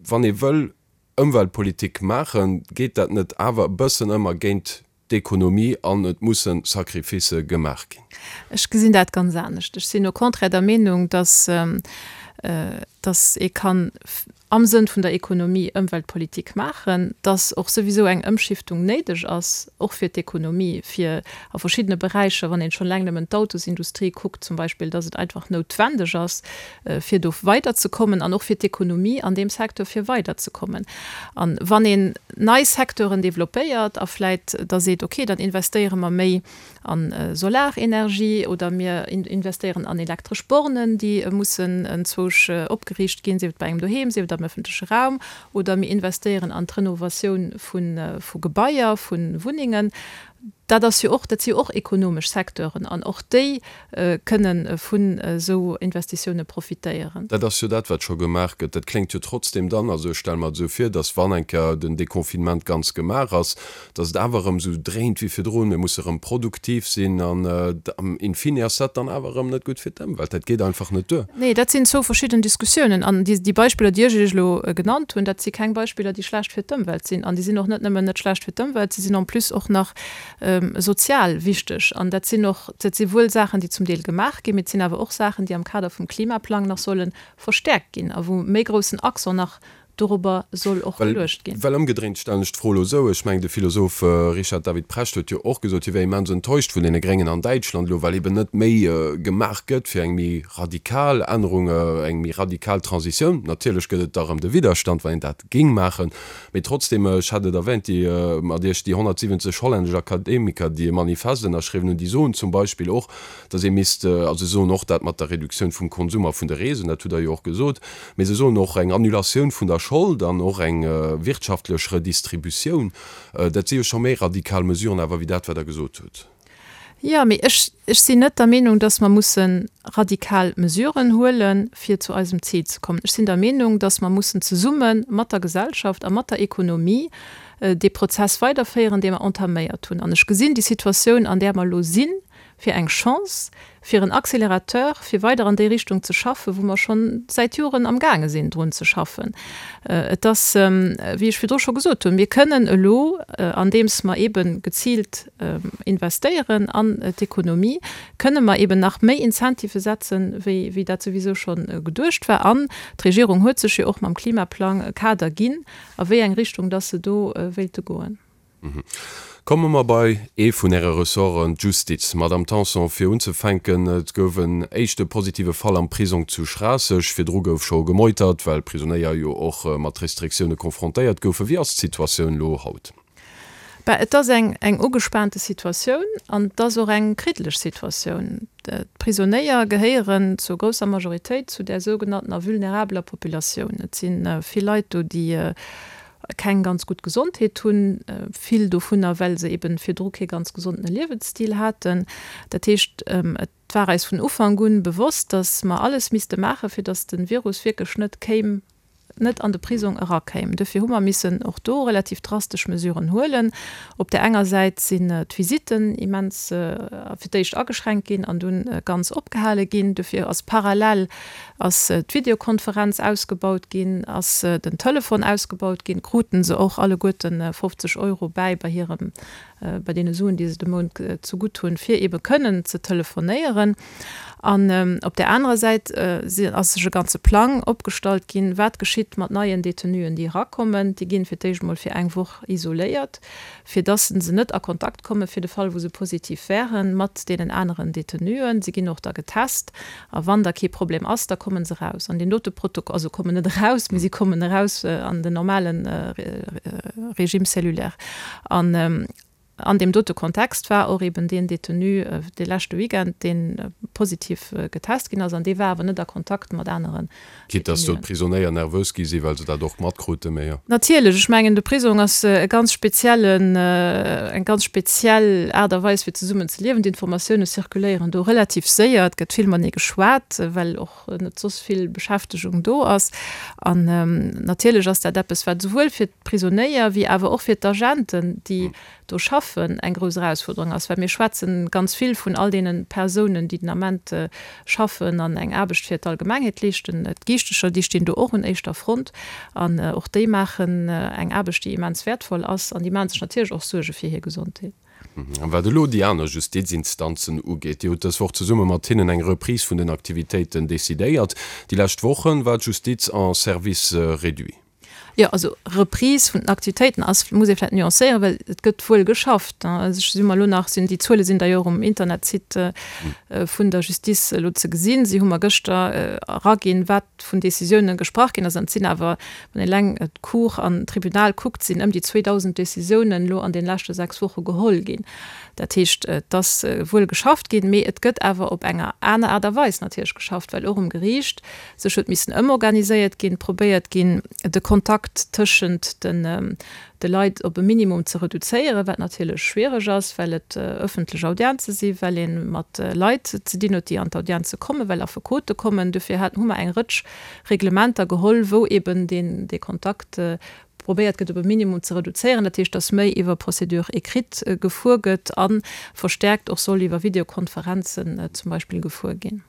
wann ee wëll Ëmweltpolitik maachen, geet dat net awer e bëssen ëmmer géint d'Ekonomie an et musse Sacrificë gemaach ginn? Ech gesinn dat ganz anescht. Ech sinn au contraire der Meenung, dass, dass ee kann am Sënn vun der Ekonomie Ëmweltpolitik maachen, dass och souwisou eng Ëmschiftung néideg ass, och fir d'Ekonomie, fir a verschiddene Beräicher, wann een schonn eleng nëmmen d'Autosindustrie kuckt zum Beispill, dass et einfach noutwendeg ass, fir do weiderzekommen an och fir d'Ekonomie an deem Secteur fir weiderzekommen. A wann een nei Secteuren développéiert a vläit da seet, okay, dann investéiere mer méi a Solarenergie oder mir investéieren an elektresch Bornen, déi mussen enzwousch opgeriicht. opgeriicht ginn, sief et bei engem doheem, sief et am öffentleche Raum, oder mir investéieren an d'Renovatioun vu Gebaier, vu Wunnengen. Dat ass jo och, dat si jo och ekonomesch Secteuren an och déi kënne vun esou Investitioune profitéieren. Dat ass jo dat, wat scho gemaach gëtt. Dat kléngt jo trotzdem dann, also ech stelle mer et esou vir, datt wann eng Kéier den Deconfinement ganz gemaach ass, datt et awer erëm esou dréint wéi virdrun, mir musse erëm produktiv sinn an in fine ass dat dann awer erëm net gutt fir d'Ëmwelt. Dat geet einfach net duer. Nee, dat sinn zwou verschidden Diskussiounen. An déi Beispiller, déi ech Iech elo genannt hunn, dat si keng Beispiller, déi schlecht fir d'Ëmwelt sinn. An déi sinn och net nëmmen net schlecht fir d'Ëmwelt, se sinn en plus och nach sozial wichteg. An dat sinn och, dat si wuel Saachen, déi zum Deel gemaach ginn, mee et sinn awer och Saachen, déi am Kader vum Klimaplang nach solle verstäerkt ginn a wou méi groussen Accent nach dorobber soll och geluecht ginn. Well ëmgedréint stellen ech d'Fro elo esou, ech mengen de Philosoph Richard David Precht huet jo och gesot, hie wär immens enttäuscht vun deene Gréngen an Däitschland elo, well eben net méi gemaach gëtt fir eng méi radikal Ännerung, eng méi radikal Transitioun. Natierlech gëtt et da erëm de Widderstand, wann een dat géing maachen. Mee trotzdem, ech hat et erwähnt, déi mat Iech, déi 170 hollännesch Akademiker, déi e Manifest ënnerschriwwen hunn, déi soen zum Beispill och, datt ee misst, also se soen och dat mat der Reduktioun vum Konsum a vun de Reesen, dat hutt Der jo och gesot, mee se soen och eng Annulatioun vun der Schold an och eng wirtschaftlech Redistributioun. Dat si jo scho méi radikal Mesuren awer wéi dat, wat Der gesot hutt. Jo, mee ech, ech sinn net der Meenung, dass mer musse radikal Mesuren huelen, fir zu eisem Zil ze kommen. Ech sinn der Meenung, dass mer mussen zesumme mat der Gesellschaft a mat der Ekonomie dee Prozess weiderféieren, dee mer entaméiert hunn. An ech gesinn déi Situatioun, an där mer elo sinn, fir eng Chance, fir en Accélérateur, fir weider an déi Richtung ze schaffen, wou mer scho säit Joren amgaange sinn, drun ze schaffen. Et ass, wéi ech virdru scho gesot hunn, mir kënnen elo, andeems mer eebe geziilt investéieren an d'Ekonomie, kënne mer eeben nach méi Incentivë setzen, wéi, wéi dat souwisou scho geduecht war. An d'Regierung huet sech jo och mam Klimaplang e Kader ginn, a wéi eng Richtung dass se do wéilte goen. Komme mer bei ee vun Äre Ressorten, d'Justiz. Madamm Tanson, fir unzefänken, Et gouf en éischte positive Fall am Prisong zu Schraasseg. Virdru gouf scho gemeutert, well Prisonéier jo och mat Restriktioune confrontéiert goufen. Wéi ass d'Situatioun elo haut? Bah, et ass eng eng ugespaante Situatioun an et ass och eng kriddeleg Situatioun. D'Prisonéier gehéieren zur grousser Majoritéit zu där sougenanntener vulnerabeler Populatioun. Et si vill Leit do, déi keng ganz gutt Gesondheet hunn, vill dovunner well se eben virdru kee ganz gesondene Liewensstil haten. Dat heescht, et war eis vun Ufank un bewosst, datt mer alles misste maachen, fir datt de Virus wierklech net kéim, net an de Prisong erakéim. Dofir hu mer missen och do relativ drastesch Mesuren huelen. Op där enger Säit sinn d'Visitten immens fir d'éischt ageschränkt ginn an dunn ganz opgehale ginn. Dofir ass parallel Ass d'Videokonferenz ausgebaut ginn? Ass den Telefon ausgebaut ginn? Kruten se och alleguerten 50 Euro bäi bei hirem, bei deene Suen, déi se de Mount zegutt hunn, fir eebe kënnen ze telefonéieren? An op där anerer Säit ass sech e ganze Plang opgestallt ginn, wat geschitt mat neien Detenuen, déi erakommen. Déi ginn fir d'éischt emol fir eng Woch isoléiert, fir dass se net a Kontakt komme fir de Fall, wou se positiv wären, mat deenen aneren Detenuen. Se ginn och da getest a wann da kee Problem ass, da kommen se eraus an deen dote Protokoll, also kommen net eraus, mee si kommen eraus an den normale Régime cellulaire. An an deem dote Kontext war och eben deen Detenu de leschte Weekend, dee positiv getest ginn ass an dee war awer net a Kontakt mat aneren Quitte dass do d'Prisonéier nervös gi si well se dat och matkruten, mee jo. Natierlech, ech mengen de Prisong ass e ganz speziellen, eng ganz speziell Aart a Weis fir zesummen ze liewen. D'Informatioune zirkuléieren do relativ séier, et gëtt vill matenee geschwat, well och net soss vill Beschäftegung do ass. An natierlech ass dat eppes, wat esouwuel fir d'Prisonéier wéi awer och fir d'Agenten, déi do schaffen, eng grouss Erausfuerderung ass, well mir schwätzen ganz vill vun all deene Persounen, déi den Ament schaffen an eng Aarbecht fir d'Allgemengheet leeschten. D'Giichtecher, déi stinn do och un éischter Front an och déi maachen eng Aarbecht, déi immens wäertvoll ass an déi maache sech natierlech och Suerge fir hir Gesondheet. A wat elo déi aner Justizinstanzen ugeet, Dir hutt dës Woch zesumme mat hinnen eng Reprise vun den Aktivitéiten decidéiert. Déi lescht Woche war d'Justiz en Service réduit. Jo, also Reprise vun den Aktivitéiten ass, muss ee vläicht nuancéieren, well et gëtt wuel geschafft. Also ech si mer elo nach, sinn déi Zuele sinn d'ailleurs um Internetsite vun der Justice elo ze gesinn. Si hu mer gëschter eraginn, wat vun Décisiounen gesprach ginn ass. An et sinn awer, wann een eleng d'Cour an d'Tribunal kuckt, sinn ëm déi 2.000 Décisiounen elo an deene leschte 6 Woche geholl ginn. Dat heescht, et ass wuel geschafft ginn, mee et gëtt awer op enger aner Aart a Weis natierlech geschafft, well och um Geriicht sech huet missen ëmorganiséiert ginn, probéiert ginn, de Kontakt tëschent de Leit op e Minimum ze reduzéieren, wat natierlech schwiereg ass, well et ëffentlech Audienze sinn, well ee mat Leit ze dinn huet, déi an d'Audienze kommen, well Affekote kommen. Dofir hat, hu mer eng Rëtsch Reglementer geholl, wou eben deen, dee Kontakt probéiert gëtt, op e Minimum ze reduzéieren. Dat heescht, dass méi iwwer Procédure écrite gefuer gëtt a verstärkt och soll iwwer Videokonferenzen zum Beispill gefuer ginn.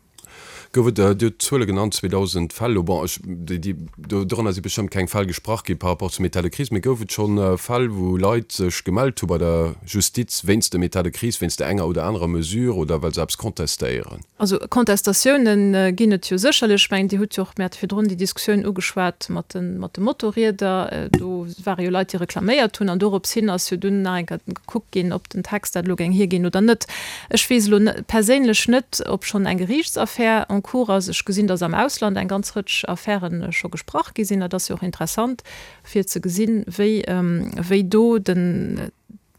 Gouf et, Dir hutt d'Zuele genannt, 2.000 Fäll elo, bon, ech, déi, déi, do, dorënner si bestëmmt keng Fäll gesprach gi par rapport zum État de crise, mee gouf et scho Fäll, wou Leit sech gemellt hu bei der Justiz wéinst dem État de crise, wéinst der enger oder anerer Mesure oder well se eppes contestéieren? Also Contestatiounen ginn et jo sécherlech. Ech mengen, Dir hutt jo och, mir hate virdrun déi Diskussioun ugeschwat mat de, mat de Motorrieder. Do ware jo Leit, déi reklaméiert hunn an dorops hin ass jo dunn nach eng Kéier gekuckt ginn, ob den Text dat elo géing hierginn oder net. Ech weess elo perséinlech net, ob schonn eng Geriichtsaffär en cours ass. Ech gesinn, datt am Ausland eng ganz Rëtsch Affäre scho gesprach gi sinn. Dat ass jo och interessant, fir ze gesinn, wéi, wéi do den,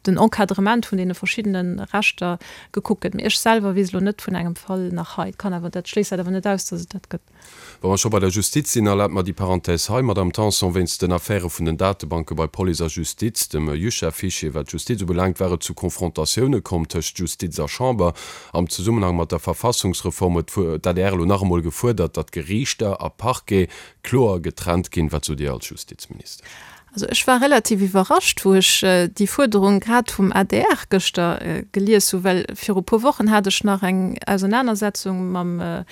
den Encadrement vun deene verschiddene Rechter gekuckt gëtt. Mee ech selwer weess elo net vun engem Fall nach hei. Et kann awer, dat schléisst dat awer net aus, datt et dat gëtt. Wa mer scho bei der Justiz sinn, erlaabt mer déi Parenthèse hei, Madamm Tanson, Wéinst den Affäre vun den Datebanke bei Police a Justiz, dem JUCHA-Fichier, wat d'Justiz ubelaangt, war et zu Confrontatioune komm tëscht Justiz a Chamber. Am Zesummenhang mat der Verfassungsreform huet d'ADR elo nach emol gefuerdert, datt Geriichter a Parquet kloer getrennt ginn. Wat sot Dir als Justizministesch? Also ech war relativ iwwerrascht, wou ech déi Fuerderung grad vum adr gëschter gelies hu, well viru puer Wochen hat ech nach eng Ausernanersetzung mam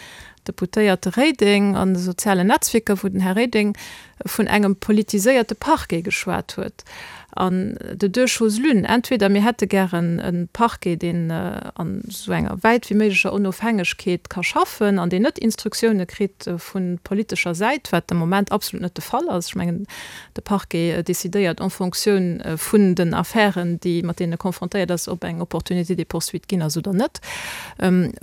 Deputéierte Reding an de sozialen Netzwierker, wou den Här Reding vun engem politiséierte Parquet geschwat huet. An de deux choses l'une, entweder mir hätte gären e Parquet, deen an esou enger wäit wéi méiglecher Onofhängegkeet ka schaffen an deen net Instruktioune kritt vu politescher Säit, wat de Moment absolut net de Fall ass. Ech mengen, De Parquet decidéiert en Fonctioun vun den Affären, déi, mat deenen e confrontéiert ass, ob eng Opportunité de poursuite ginn ass oder net.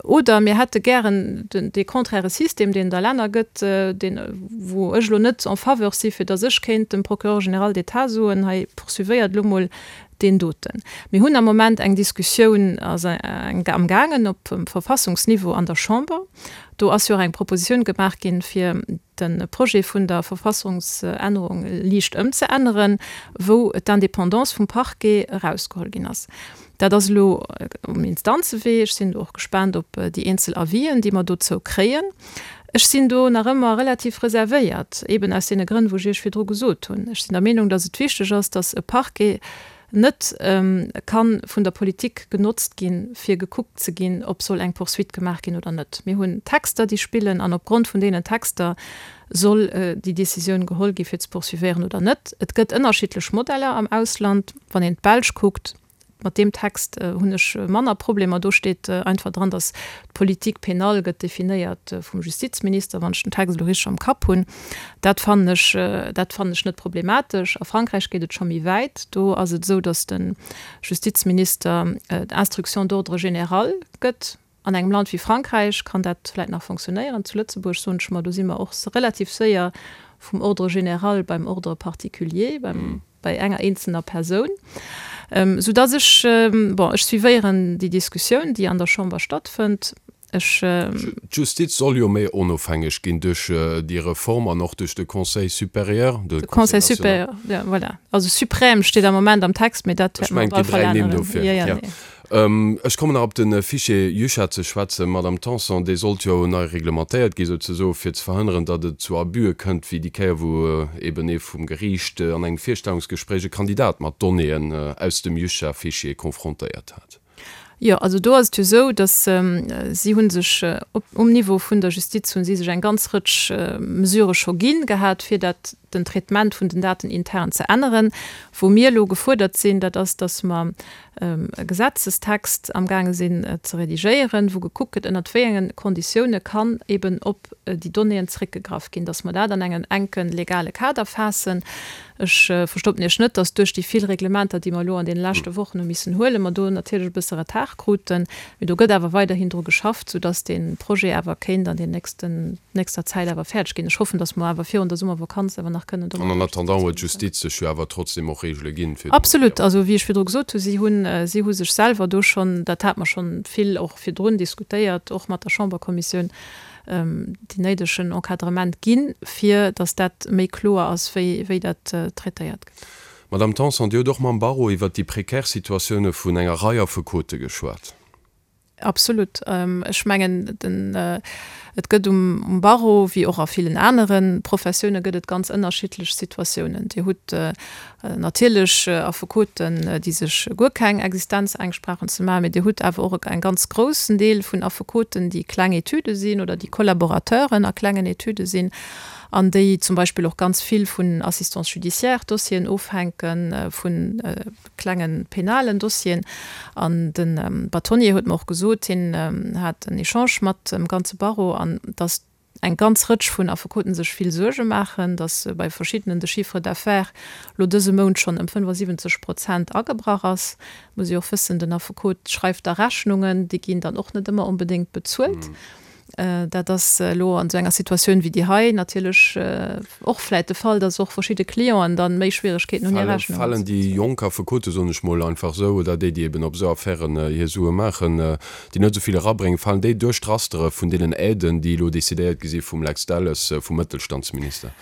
Oder mir hätte gären dee contraire System, deen et a Länner gëtt, deen, wou ech elo net en faveur si fir datt ech kéint dem Procureur général d'État soen, hei poursuivéiert elo mol deen doten. Mir hunn am Moment eng Diskussioun ass amgaangen op Verfassungsniveau an der Chamber. Do ass jo och eng Propositioun gemaach ginn, fir de Projet vun der Verfassungsännerung liicht ëmzeänneren, wou d'Indépendance vum Parquet erausgeholl ginn ass. Dat ass elo um Instanzewee. Ech sinn do och gespaant op déi eenzel Avisen, déi mer dozou kréien. Ech sinn do nach ëmmer relativ reservéiert, eeben aus deene Grënn, wou ech Iech virdru gesot hunn. Ech sinn der Meenung, dass et wichteg ass, dass e Parquet net ka vun der Politik genotzt ginn, fir gekuckt ze ginn, ob soll eng Poursuite gemaach ginn oder net. Mir hunn Texter, déi spillen, an opgrond vun deenen Texter soll déi Décisioun geholl gi fir ze poursuivéieren oder net. Et gëtt ënnerschiddlech Modeller am Ausland. Wann een d'Belsch kuckt, mat deem Text hunn ech manner Problemer. Do steet einfach dran, datt d'Politique pénale gëtt definéiert vum Justizminister, wann ech den Text elo richteg am Kapp hunn. Dat fannen ech, dat fannen ech net problematesch. A Frankräich geet et scho méi wäit. Do ass et esou, datt de Justizminister d'Instruction d'ordre général gëtt. An engem Land wéi Frankräich kann dat vläicht nach fonctionnéieren. Zu Lëtzebuerg, soen ech mer, do si mer och relativ séier vum Ordre général beim Ordre particulier, beim, bei enger eenzelner Persoun. Soudatt ech, bon, ech suivéieren déi Diskussioun, déi an der Chamber stattfënnt. Ech. D'Justiz soll jo méi onofhängeg ginn duerch déi Reform an och duerch de Conseil supérieur, de Conseil national. Supérieur, jo, voilà. Also suprême steet am Moment am Text, mee dat wäerte mer op alle Fall änneren. Ech mengen, et ginn dräi Nimm dofir. Jo, jo, nee. Ech kommen nach op de Fichier JUCHA ze schwätzen, Madamm Tanson. Dee sollt jo nei reglementéiert gi souzesoe fir ze verhënneren, datt et zu Abüe kënnt, wéi déi Kéier, wou eben ee vum Geriicht an engem Virstellungsgespréich e Kandidat mat Donnéeën aus dem JUCHA-Fichier confrontéiert hat. Jo, also do ass et jo esou, datt si hu sech op um Niveau vun der Justiz hu si sech eng ganz Rëtsch Mesurë scho gi gehat, fir dat. den Traitement vun den Daten intern ze änneren. Wou mir elo gefuerdert sinn, dat ass, dass mer e Gesetzestext amgaange sinn ze redigéieren, wou gekuckt gëtt, ënnert wéi enge Konditioune kann eben op déi Donnéeën zréckgegraff ginn, dass mer dat an engem enke legale Kader faassen. Ech verstoppen Iech net, dass duerch déi vill Reglementer, déi mer elo an deene leschte Wochen hu missen huelen, mer do natierlech e bësse Retard kruten. Mee do gëtt awer weiderhin dru geschafft, soudass dee Projet awer kéint an den nächsten, nächster Zäit awer fäerdeg ginn. Ech hoffen, dass mer awer virun der Summervakanz awer nach kënnen domat. An en attendant huet d'Justiz sech jo awer trotzdem och Regele ginn, fir. Absolut. Also, wéi ech virdru gesot hu, si hunn, si hu sech selwer do schonn, dat hate mer schonn vill och virdrun diskutéiert, och mat der Chamberkommissioun, deen néidegen Encadrement ginn, fir datt dat méi kloer ass, wéi, wéi dat traitéiert gëtt. Madame Tanson, Dir hutt och mam Barreau iwwert déi prekär Situatioune vun enger Rei Affekote geschwat. Absolut. Ech mengen, den, et gëtt um Barreau, wéi och a villen anere Professioune gëtt et ganz ënnerschiddlech Situatiounen. Dir hutt natierlech Affekoten, déi sech guer keng Existenzängscht brauchen ze maachen, mee Dir hutt awer och e ganz groussen Deel vun Affekoten, déi kleng Etüde sinn oder déi Collaborateuren a klengen Etüde sinn an déi zum Beispill och ganz vill vun Assistance judiciaire Dossieren ofhänken, vu klenge penalen Dossieren. An de Bâtonnier huet mer och gesot, hien hat en Echange mat dem ganze Barreau, an datt eng ganz Rëtsch vun Affekoten sech vill Suerge maachen, datt bei verschiddenen de Chiffre d'affaires lo dëse Mount schonn ëm 75 Prozent agebrach ass. Muss ee och wëssen, den Affekot schreift da Rechnungen, déi ginn dann och net ëmmer onbedéngt bezuelt. Dat ass elo an esou enger Situatioun wéi déi hei natierlech och vläit de Fall, datt och verschidde Clienten dann méi Schwieregkeeten hunn, hir Rechnungen ze bezuelen. Falen déi jonk Affekote, soen ech mol einfach esou, oder déi, déi eben op esou Affären hir Sue maachen, déi net esou vill erabréngen, falen déi duerch d'Rastere vun deenen Aiden, déi elo decidéiert gi si vum Lex Delles, vum Mëttelstandsminister?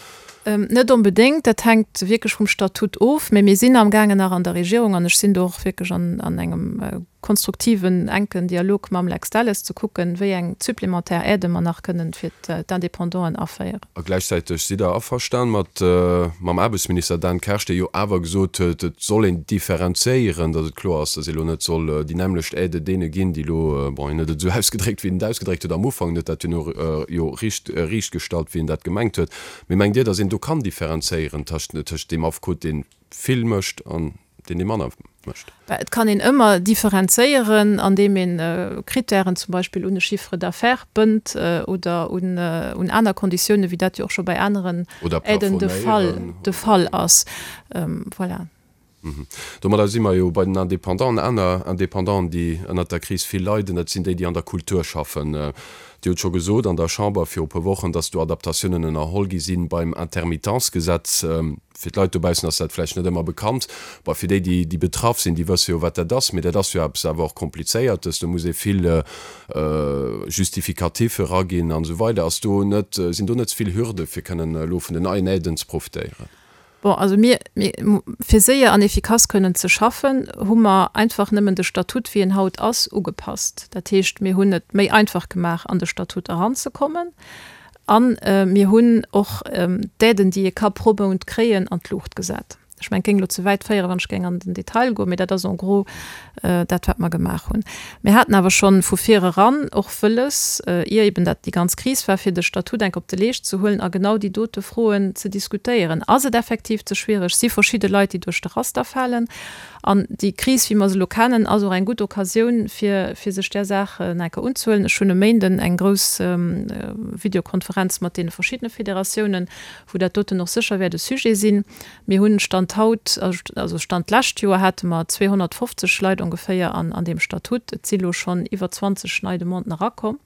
Net onbedéngt, dat hänkt wierklech vum Statut of. Mä mir sinn amgaangen nach an der Regierung, an ech sinn do och wierklech an engem konstruktiven, enken Dialog mam Lex Delles, ze kucken, wéi eng supplémentaire Aidë mer nach kënnen fir d'Indépendanten aféieren. A gläichzäiteg sidd Der averstan mat mam Aarbechtsminister Dan Kersch, dee jo awer gesot huet, et soll een differenzéieren, datt et kloer ass, datt ee lo net soll déi nämmlecht Aide deene ginn, déi elo, bon, hien huet et esou ausgedréckt, wéi en et ausgedréckt huet am Ufank, en huet dat jo jo riicht riichtgestallt, wéi en dat gemengt huet. Mee mengt Dir, datt een do kann differenzéieren tëscht deem Affekot, dee vill mécht an deen, dee manner mécht? Et kann een ëmmer differenzéieren, andeem een Krittären zum Beispill un e Chiffre d'affaires bënnt oder un aner Konditiounen, wéi dat jo och scho bei aneren Aiden de Fall de Fall ass. Voilà. Domadder si mer jo bei den Indépendanten. Aner Indépendanten, déi ënnert der Kris vill leiden, dat sinn déi, déi an der Kultur schaffen. Dir hutt scho gesot an der Chamber viru puer Wochen, datt do Adaptatiounen ënnerholl gi si beim Intermittenzgesetz. Fir d'Leit dobaussen ass dat vläicht net ëmmer bekannt. Bon, fir déi, déi betraff sinn, déi wësse jo, wat dat ass. Mee dat ass jo eppes awer och Komplizéiertes. Do muss ee vill Justificatiffe eraginn an esou weider. Ass do net, sinn do net ze vill Hürde fir kënnen elo vun den neien Aiden ze profitéieren? Bon, also mir, mir, fir séier an efficace kënnen ze schaffen, hu mer einfach nëmmen de Statut, wéi en haut ass, ugepasst. Dat heescht, mir hunn et méi einfach gemaach, an de Statut eranzekommen. A mir hunn och d'Aiden, déi ee ka pro Mount kréien, an d'Luucht gesat. Ech mengen, et géing elo ze wäit féieren, wann ech géing an den Detail goen, mee dat ass en gros dat, wat mer gemaach hunn. Mir haten awer schonn vu vir eran och wëlles, ier eben dat déi ganz Kris war, fir de Statut enk op de Leescht ze huelen a genau déi dote Froen ze diskutéieren. Ass et effektiv ze schwiereg? Si verschidde Leit, déi duerch de Raster falen? An déi Kris, wéi mer se elo kennen, ass och eng gutt Occasioun, fir fir sech där Saach nach eng Kéier unzehuelen. Ech hunn e Méinden eng grouss Videokonferenz mat deene verschiddene Federatiounen, wou dat doten och sécher wäert e Sujet sinn. Mir hunn Stand haut, also Stand d'lescht Joer hate mer 250 Leit ongeféier an an deem Statut. Et si lo schonn iwwer 20 nei Demanden erakomm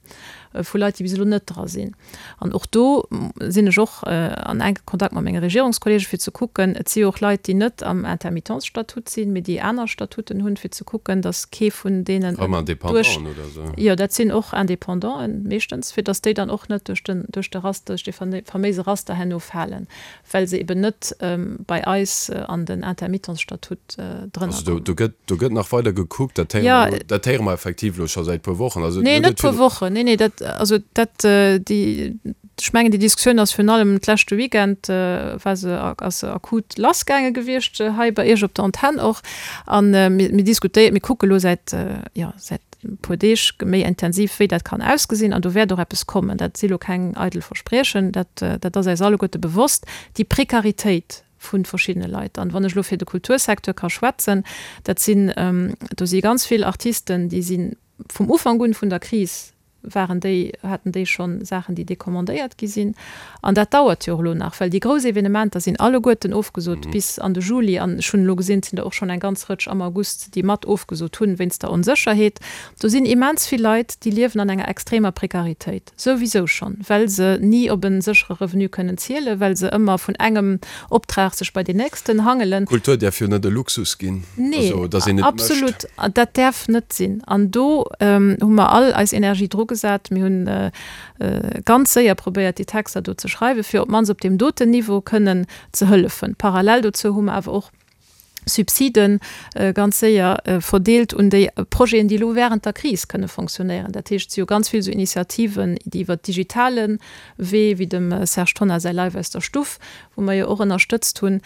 vu Leit, déi bis elo net dra sinn. An och do sinn ech och an enke Kontakt mat menge Regierungskollegen, fir ze kucken, et si jo och Leit, déi net am Intermittenzstatut sinn, mee déi aner Statuten hunn, fir ze kucken, datt kee vun deenen duerch, jo, dat sinn och Indépendanten meeschtens, fir datt déi dann och net duerch den, duerch de Raster, duerch dee faméise Raster herno falen. well se eben net bei eis an den Intermittenzstatut drënner Also do, do gëtt, do gëtt nach weider gekuckt, dat héiere mer elo, dat héiere mer effektiv elo scho säit puer Wochen. Also Nee, net puer Wochen, nee, nee, dat, also dat, déi, ech mengen déi Diskussioun ass virun allem d'leschte Weekend war se, ass se akut lassgaange gewiescht hei bei Iech op der Antenn och. A mir, mir diskutéieren, mir kucke lo säit, jo, säit. puer Deeg méi intensiv, wéi dat kann ausgesinn. An do wäert och eppes kommen. Dat si lo keng eidel Verspriechen, dat, dat ass eis alleguerte bewosst, déi Prekaritéit vu verschiddene Leit. An wann ech elo fir de Kultursecteur ka schwätzen, dat sinn, do si ganz vill Artisten, déi si vum Ufank un vun der Kris waren déi, haten déi schonn Saachen, déi decommandéiert gi sinn. An dat dauert jo och elo nach, well déi grouss Evenementer sinn alleguerten ofgesot bis an de Juli. An ech hunn elo gesinn, et sinn der och schonn eng ganz Rëtsch am August, déi mat ofgesot hunn, wéinst der Onsécherheet. Do sinn immens vill Leit, déi liewen an enger extremer Prekaritéit, souwisou schonn, well se ni op e séchere Revenu kënnen zielen, well se ëmmer vun engem Optrag sech bei deen nächsten hangelen. Kultur däerf jo net e Luxus ginn, Nee, also dass een et mécht. absolut, dat däerf net sinn. An do hu mer all eis Energie drugesat. Mir hunn ganz séier probéiert, déi Texter do ze schreiwen, fir op d'mannst op deem doten Niveau kënnen ze hëllefen. Parallel dozou hu mer awer och Subsiden ganz séier verdeelt un déi Projeten, déi elo während der Kris kënne fonctionnéieren. Dat heescht, et si jo ganz vill esou Initiativen, déi iwwert digitale Wee, wéi dem Serge Tonnar säi Live aus der Stuff, wou mer jo och ënnerstëtzt hunn,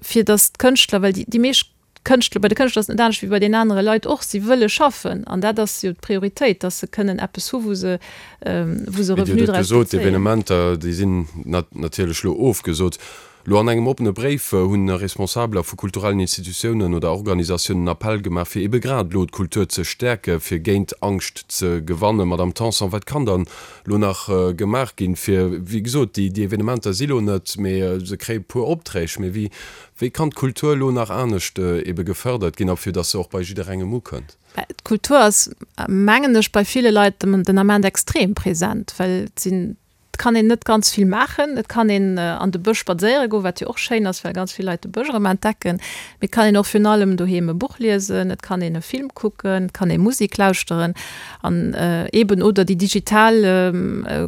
fir datt d'Kënschtler, well déi meescht Kënschtler, bei de Kënschtler ass et net anescht wéi bei den anere Leit och, si wëlle schaffen an dat ass jo d'Prioritéit, datt se kënnen eppes hu wou se, wou se Mee Dir Revenu hutt et draus gesot, bezéien. d'Evenementer, déi sinn natierlech elo ofgesot. Lo an engem oppene Bréif hunn Responsabeler vu kulturellen Institutiounen oder Organisatiounen en Appell gemaach, fir ebe grad elo d'Kultur ze stäerke fir géint Angscht ze gewannen. Madamm Tanson, wat kann dann elo nach gemaach ginn, fir, wéi gesot, déi Evenementer si lo net, mee se kréie puer Opträg, mee wéi, wéi kann d'Kultur elo nach anescht ebe gefërdert ginn a fir datt se och bei jidderengem ukënnt? D'Kultur ass, mengen ech, bei ville Leit den Ament extrem present, well et sinn Et kann een net ganz vill maachen. Et kann een an de Bësch spadséiere goen, wat jo och schéin ass, well ganz vill Leit de Bësch erëm entdecken. Mee et kann een och virun allem doheem e Buch liesen, et kann een e Film kucken, et kann ee Musek lauschteren an eeben oder déi digital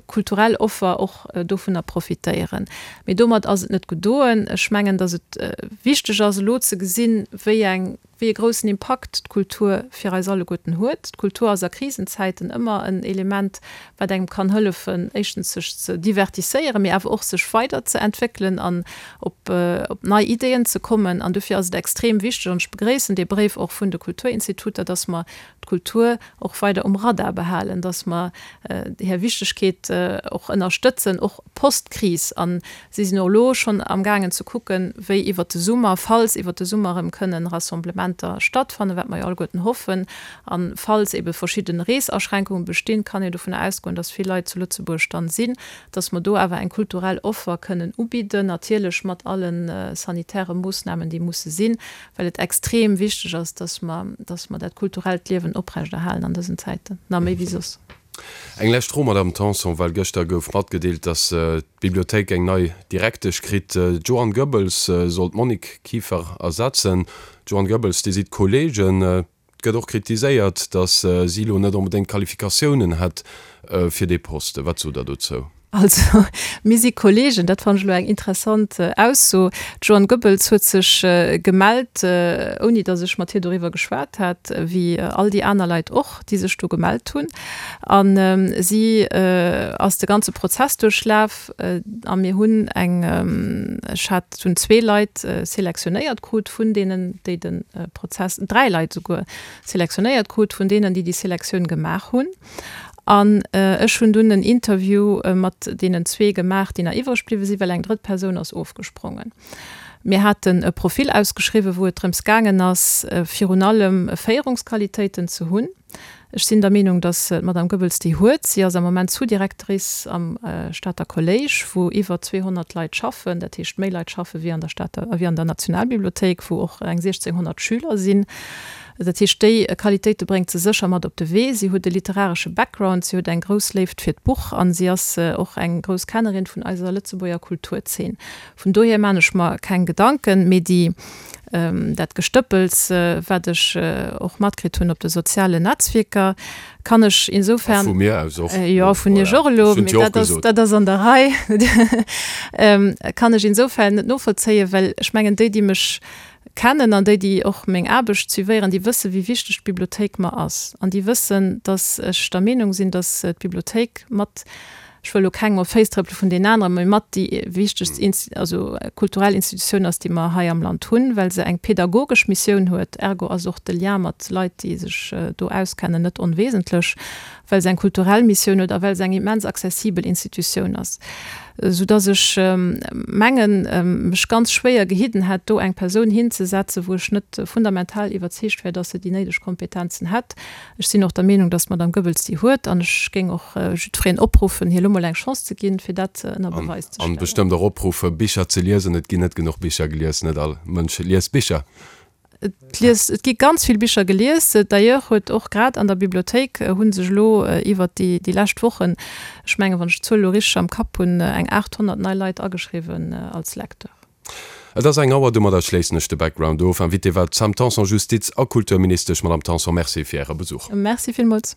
kulturell Offer och dovunner profitéieren. Mee domat ass et net gedoen. Ech mengen, datt et wichteg ass, elo ze gesinn, wéi eng wéi e groussen Impakt d'Kultur fir eis alleguerten huet. D'Kultur ass a Krisenzäiten ëmmer en Element, wat engem kann hëllefen, éischtens sech ze divertisséieren, mee awer och sech weider ze entwéckelen an op nei Ideeën ze kommen. An dofir ass et extrem wichteg, an ech begréissen dee Bréif och vun de Kulturinstituter, dass mer d'Kultur och weider um Radar behalen, dass mer hir Wichtegkeet och ënnerstëtzen, och post-Kris. A si sinn och elo schonn amgaangen ze kucken, wéi iwwert de Summer, falls iwwert de Summer erëm kënnen Rassemblementer stattfannen, wat mer jo alleguerten hoffen, a falls ebe verschidde Reesaschränkunge bestinn, kann een dovunner ausgoen, dass vill Leit zu Lëtzebuerg dann sinn, dass mer do awer eng kulturell Offer kënnen ubidden, natierlech mat alle sanitäre Moossnamen, déi musse sinn, well et extrem wichteg ass, dass mer, dass mer dat kulturellt Liewen oprechterhalen an dësen Zäiten, nach méi wéi soss. Eng lescht Fro, Madamm Tanson, well gëschter gouf matgedeelt, dass d'Bibliothéik eng nei Direktesch kritt. D'Joanne Goebbels soll d'Monique Kieffer ersetzen. D'Joanne Goebbels, Dir sidd Kolleegen. Et gëtt och kritiséiert, dass si elo net onbedéngt d'Qualifikatiounen hätt fir dee Poste. Wat sot Der dozou? Also, mir si Kollegen, dat fannen ech elo eng interessant Ausso. D'Joanne Goebbels huet sech gemellt, ouni datt ech mat hir doriwwer geschwat hat, wéi all déi aner Leit och, déi sech do gemellt hunn. A si ass de ganze Prozess duerchlaf a mir hunn eng, ech hat, hunn zwee Leit selektionéiert krut vun deenen, déi de Prozess, dräi Leit esouguer selektionéiert krut vun deenen, déi déi Selektioun gemaach hunn. An ech hunn dunn en Interview mat deenen zwee gemaach, déi nach iwwreg bliwwe sinn, well eng drëtt Persoun ass ofgesprongen. Mir haten e Profil ausgeschriwwen, wou et drëms gaangen ass, virun allem Féierungsqualitéiten ze hunn. Ech sinn der Meenung, datt d'Madame Goebbels déi huet. Si ass am Moment Sous-Directrice am Stater Kolléisch, wou iwwer 200 Leit schaffen, dat heescht méi Leit schaffe wéi an der Stater, wéi an der Nationalbibliothéik, wou och eng 1.600 Schüler sinn. Dat heescht, déi Qualitéite bréngt se sécher mat op de Wee. Si huet e literaresche Background, si huet eng grouss Léift fir d'Buch a si ass och eng grouss Kennerin vun eiser Lëtzebuerger Kulturzeen. Vun dohier maan ech mer keng Gedanken, mee déi, dat Gestëppels, wat ech och matkritt hunn op de sozialen Netzwierker, kann ech insoufern. A vu mir aus och. Jo, vun Iech och elo, mee dat ass, dat ass an der Rei. Kann ech insoufern net novollzéien, well ech mengen, déi, déi mech kennen an déi, déi och meng Aarbecht suivéieren, déi wëssen, wéi wichteg d'Bibliothéik mer ass. An déi wëssen, dass ech der Meenung sinn, dass d'Bibliothéik mat. Ech wëll elo kengem op d'Féiss trëppele vun deenen aneren, mee mat déi wichtegst also kulturell Institutioun ass, déi mer hei am Land hunn, well se eng pedagogesch Missioun huet. Ergo ass och de Lien mat Leit, déi sech do auskennen, net onwesentlech, well se eng kulturell Missioun huet a well se eng immens accessibel Institutioun ass, soudass ech mengen, mech ganz schwéier gehidden hätt, do eng Persoun hinzesetzen, wou ech net fundamental iwwerzeegt wär, dass se déi néideg Kompetenzen hätt. Ech sinn och der Meenung, dass d'Madame Goebbels déi huet, an ech géing och jiddwereen opruffen, hir elo mol eng Chance ze ginn, fir dat ënner Beweis ze stellen. An bestëmmt och opruffen, Bicher ze liesen. Et ginn net genuch Bicher gelies. Net all Mënsch liest Bicher. Et liest, et gi ganz vill Bicher gelies. D'ailleurs huet och grad an der Bibliothéik hu sech elo iwwert déi, déi lescht Wochen, ech mengen, wann ech d'Zuel elo richteg am Kapp hunn, eng 800 nei Leit ageschriwwen als Lecteur. Et ass eng Auer, domadder schléissen ech de Background of. Invitée war d'Sam Tanson, Justiz a Kulturministesch. Madame Tanson, Merci fir Äre Besuch. Merci villmools.